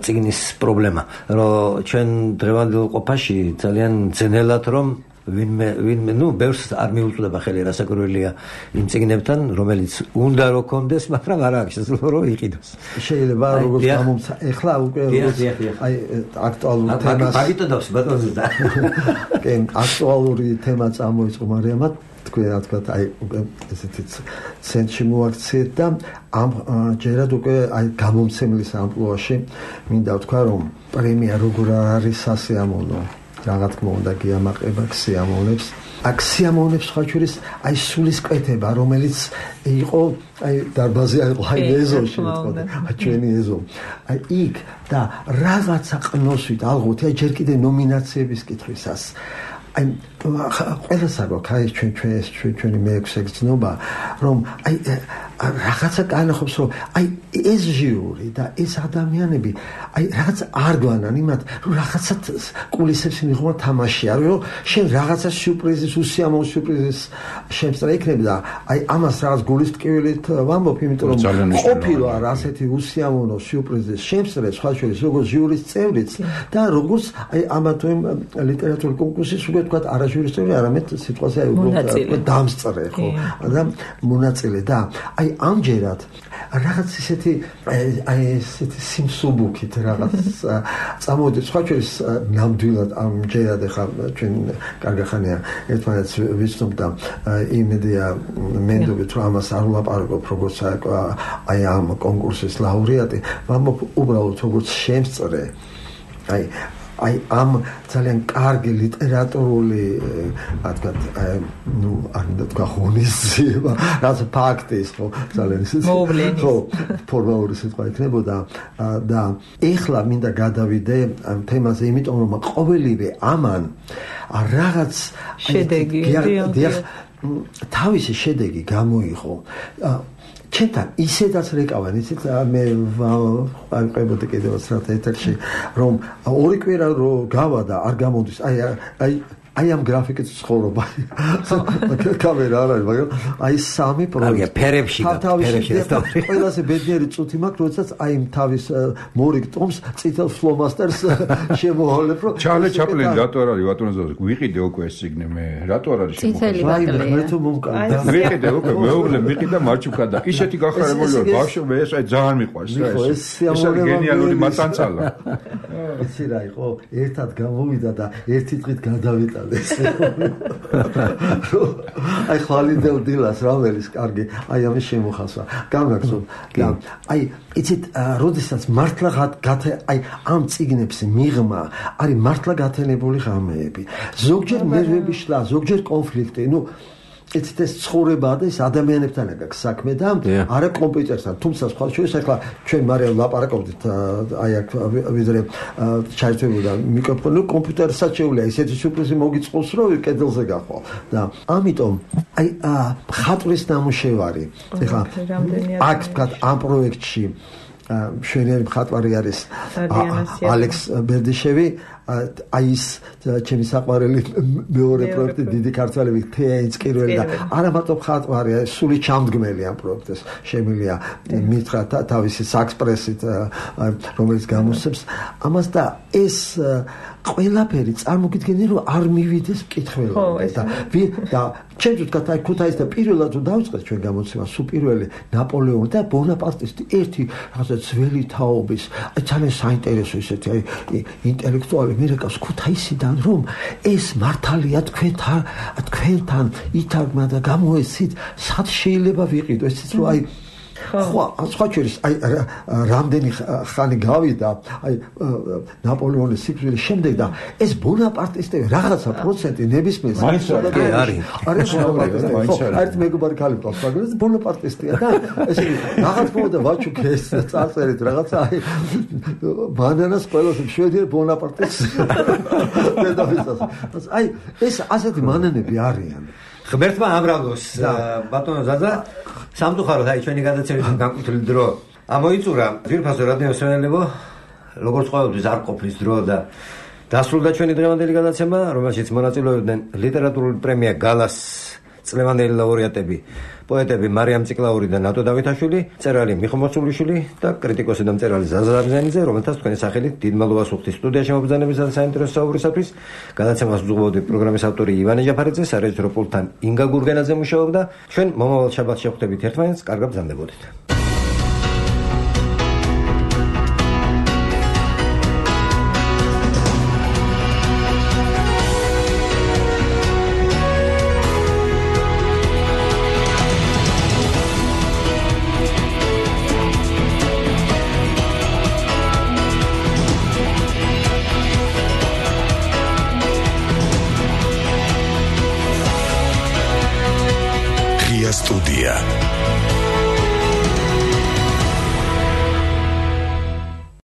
წიგნის პრობლემა, რომ ჩვენ დღევანდელ ყოფაში ძალიან ძნელად რომ ვინმე ვინმე ნუ ბევრს არ მიუწვდება ხელი რასაკვირველია იმ წიგნებთან, რომელიც უნდა რო კონდეს, მაგრამ არ აქვს შესაძლებლობა რომ იყიდოს. შეიძლება როგორც გამომცა ეხლა უკვე როგორც აი აქტუალური თემას ბაგიტოდავს ბატონზე და კი აქტუალური თემა წამოიწყო მარიამად თქვენ რა თქვა აი ესეთი ცენტრში მოაქციეთ და ამ ჯერად უკვე აი გამომცემლის ამპლუაში მინდა ვთქვა რომ პრემია როგორ არის სასიამოვნო რა თქმა უნდა გიამაყება ქსიამოვნებს აქ სიამოვნებს სხვა შორის აი სულისკვეთება რომელიც იყო აი დარბაზი იყო აი ეზოში თქო ჩვენი ეზო აი იქ და რაღაცა ყნოსვით ალბათ აი ჯერ კიდე ნომინაციების კითხვისას აი ყველას აქვს აი ჩვენ ჩვენ ჩვენი მეექვსე გზნობა რომ აი რაღაცა განახობს რომ აი ეს ჟიური და ეს ადამიანები აი რაღაც არ გვანან იმათ რომ რაღაცა კულისებში მიღმა თამაშია რომ შენ რაღაცა სიურპრიზის უსიამოვნო სიურპრიზის შემსწრე იქნება და აი ამას რაღაც გულის ტკივილით ვამბობ იმიტომ რომ ყოფილა ასეთი უსიამოვნო სიურპრიზის შემსწრე სხვა შორის როგორც ჟიურის წევრიც და როგორც აი ამა თუ იმ ლიტერატურული კონკურსის უკვე თქვა არა ჟიურის წევრი არამედ სიტყვაზე აი უკვე დამსწრე ხო და მონაწილე და აი ამჯერად რაღაც ისეთი აი ესეთი სიმსუბუქით რაღაც წამოვიდეთ სხვა შორის ნამდვილად ამჯერად ახლა ჩვენ კარგახანია ერთმანეთს ვიცნობ და იმედია მენდობით რომ ამას არ ვლაპარაკობ როგორც აი ამ კონკურსის ლაურეატი ვამბობ უბრალოდ როგორც შემსწრე აი აი ამ ძალიან კარგი ლიტერატურული რა თქვა ნუ არ უნდა თქვა ღონისძიება რაც ფაქტის ხო ძალიან ისეთი ხო ფორმალური სიტყვა იქნებოდა და ეხლა მინდა გადავიდე ამ თემაზე იმიტომ რომ ყოველივე ამან რაღაც შედეგი თავისი შედეგი გამოიღო ჩემთან ისედაც რეკავენ ისეთ მე ვაყებოდი კიდევაც რა ეთერში რომ ორი კვირა რო გავა და არ გამოდის აი აი აი ამ გრაფიკით ცხოვრობა კამერა არ არის მაგრამ აი სამი პროექტი ფერებში ფერებში ყველაზე ბედნიერი წუთი მაქვს როდესაც აი თავის მორიგ ტომს წითელ ფლომასტერს შემოავლებ რომ ჩარლი ჩაპლინი რატო არ არის ბატონო ვიყიდე უკვე ეს სიგნე მე რატო არ არის შემოხატული მე თუ მომკარდა ვიყიდე უკვე მეუღლე ვიყიდა მარჩუკა და ისეთი გახარებული ვარ ბავშვი მე ეს აი ძალიან მიყვარს რა ეს ეს გენიალური მატანცალა იცი რა იყო ერთად გამოვიდა და ერთი დღით გადავიტა აი ხვალინდელ დილას რაველის კარგი აი ამის შემოხასვა გამგაცნობ და აი იცით როდესაც მართლა აი ამ წიგნებს მიღმა არის მართლა გათენებული ღამეები ზოგჯერ ნერვები შლა ზოგჯერ კონფლიქტი ნუ იცით ეს ცხოვრებაა და ეს ადამიანებთან აქვს საქმე და არა კომპიუტერთან თუმცა სხვა შორის ახლა ჩვენ მარიამ ლაპარაკობდით აი აქ ვიდრე ჩაერთვებოდა მიკროფონი კომპიუტერსაც შეუძლია ისეთი სიურპრიზი მოგიწყოს რომ კედელზე გახვალ და ამიტომ აი ხატვის ნამუშევარი ეხლა აქ თქვა ამ პროექტში მშვენიერი მხატვარი არის ალექს ბერდიშევი აი ის ჩემი საყვარელი მეორე პროექტი დიდი ქართველები თეა ინსკირველი და არა მარტო მხატვარია სული ჩამდგმელი ამ პროექტს შემილია მითხრა თავისი საქსპრესით რომელიც გამოსცემს ამას და ეს ყველაფერი წარმოგიდგენია რომ არ მივიდეს მკითხველად და და ჩემთვის თქვა აი ქუთაისდა პირველად თუ დავიწყეთ ჩვენ გამოცემა სულ პირველი ნაპოლეონი და ბონაპარტის ერთი რაღაცა ძველი თაობის ძალიან საინტერესო ისეთი აი ინტელექტუალი მირეკავს ქუთაისიდან რომ ეს მართალია თქვენთან თქვენთან ითარგმნა და გამოეცით სად შეიძლება ვიყიდო ესეც რომ აი ხო, სხვა შორის აი რამდენი ხანი გავიდა აი ნაპოლეონის სიკვდილის შემდეგ და ეს ბონაპარტისტები რაღაცა პროცენტი ნებისმიერ მაინც არის არის არის არის მეგობარი ქალი ყავს მაგრამ ბონაპარტისტია და ესე რაღაც მომდა ვაჩუქე ეს წარწერით რაღაცა აი ბანანას ყველას შვედიერ ბონაპარტისტს დედავიცას აი ეს ასეთი მანენები არიან ღმერთმა ამრავლოს ბატონო ზაზა სამწუხაროდ აი ჩვენი გადაცემის განკუთვნილი დრო ამოიწურა ძირფასო რადიო მსმენელებო როგორც ყოველთვის არ ყოფნის დრო და დასრულდა ჩვენი დღევანდელი გადაცემა რომელშიც მონაწილეობდნენ ლიტერატურული პრემია გალას წლევანდელი ლაურეატები პოეტები მარიამ ციკლაური და ნატო დავითაშვილი მწერალი მიხო მოცულიშვილი და კრიტიკოსი და მწერალი ზაზა დაბზენიძე რომელთაც თქვენი სახელით დიდ მადლობას ვუხდით სტუდიაში მობრძანებისა და საინტერესო საუბრისათვის გადაცემას უძღვებოდი პროგრამის ავტორი ივანე ჯაფარიძე სარეჟისორო პულტთან ინგა გურგენაძე მუშაობდა ჩვენ მომავალ შაბათს შევხვდებით ერთმანეთს კარგად ბრძანდებოდით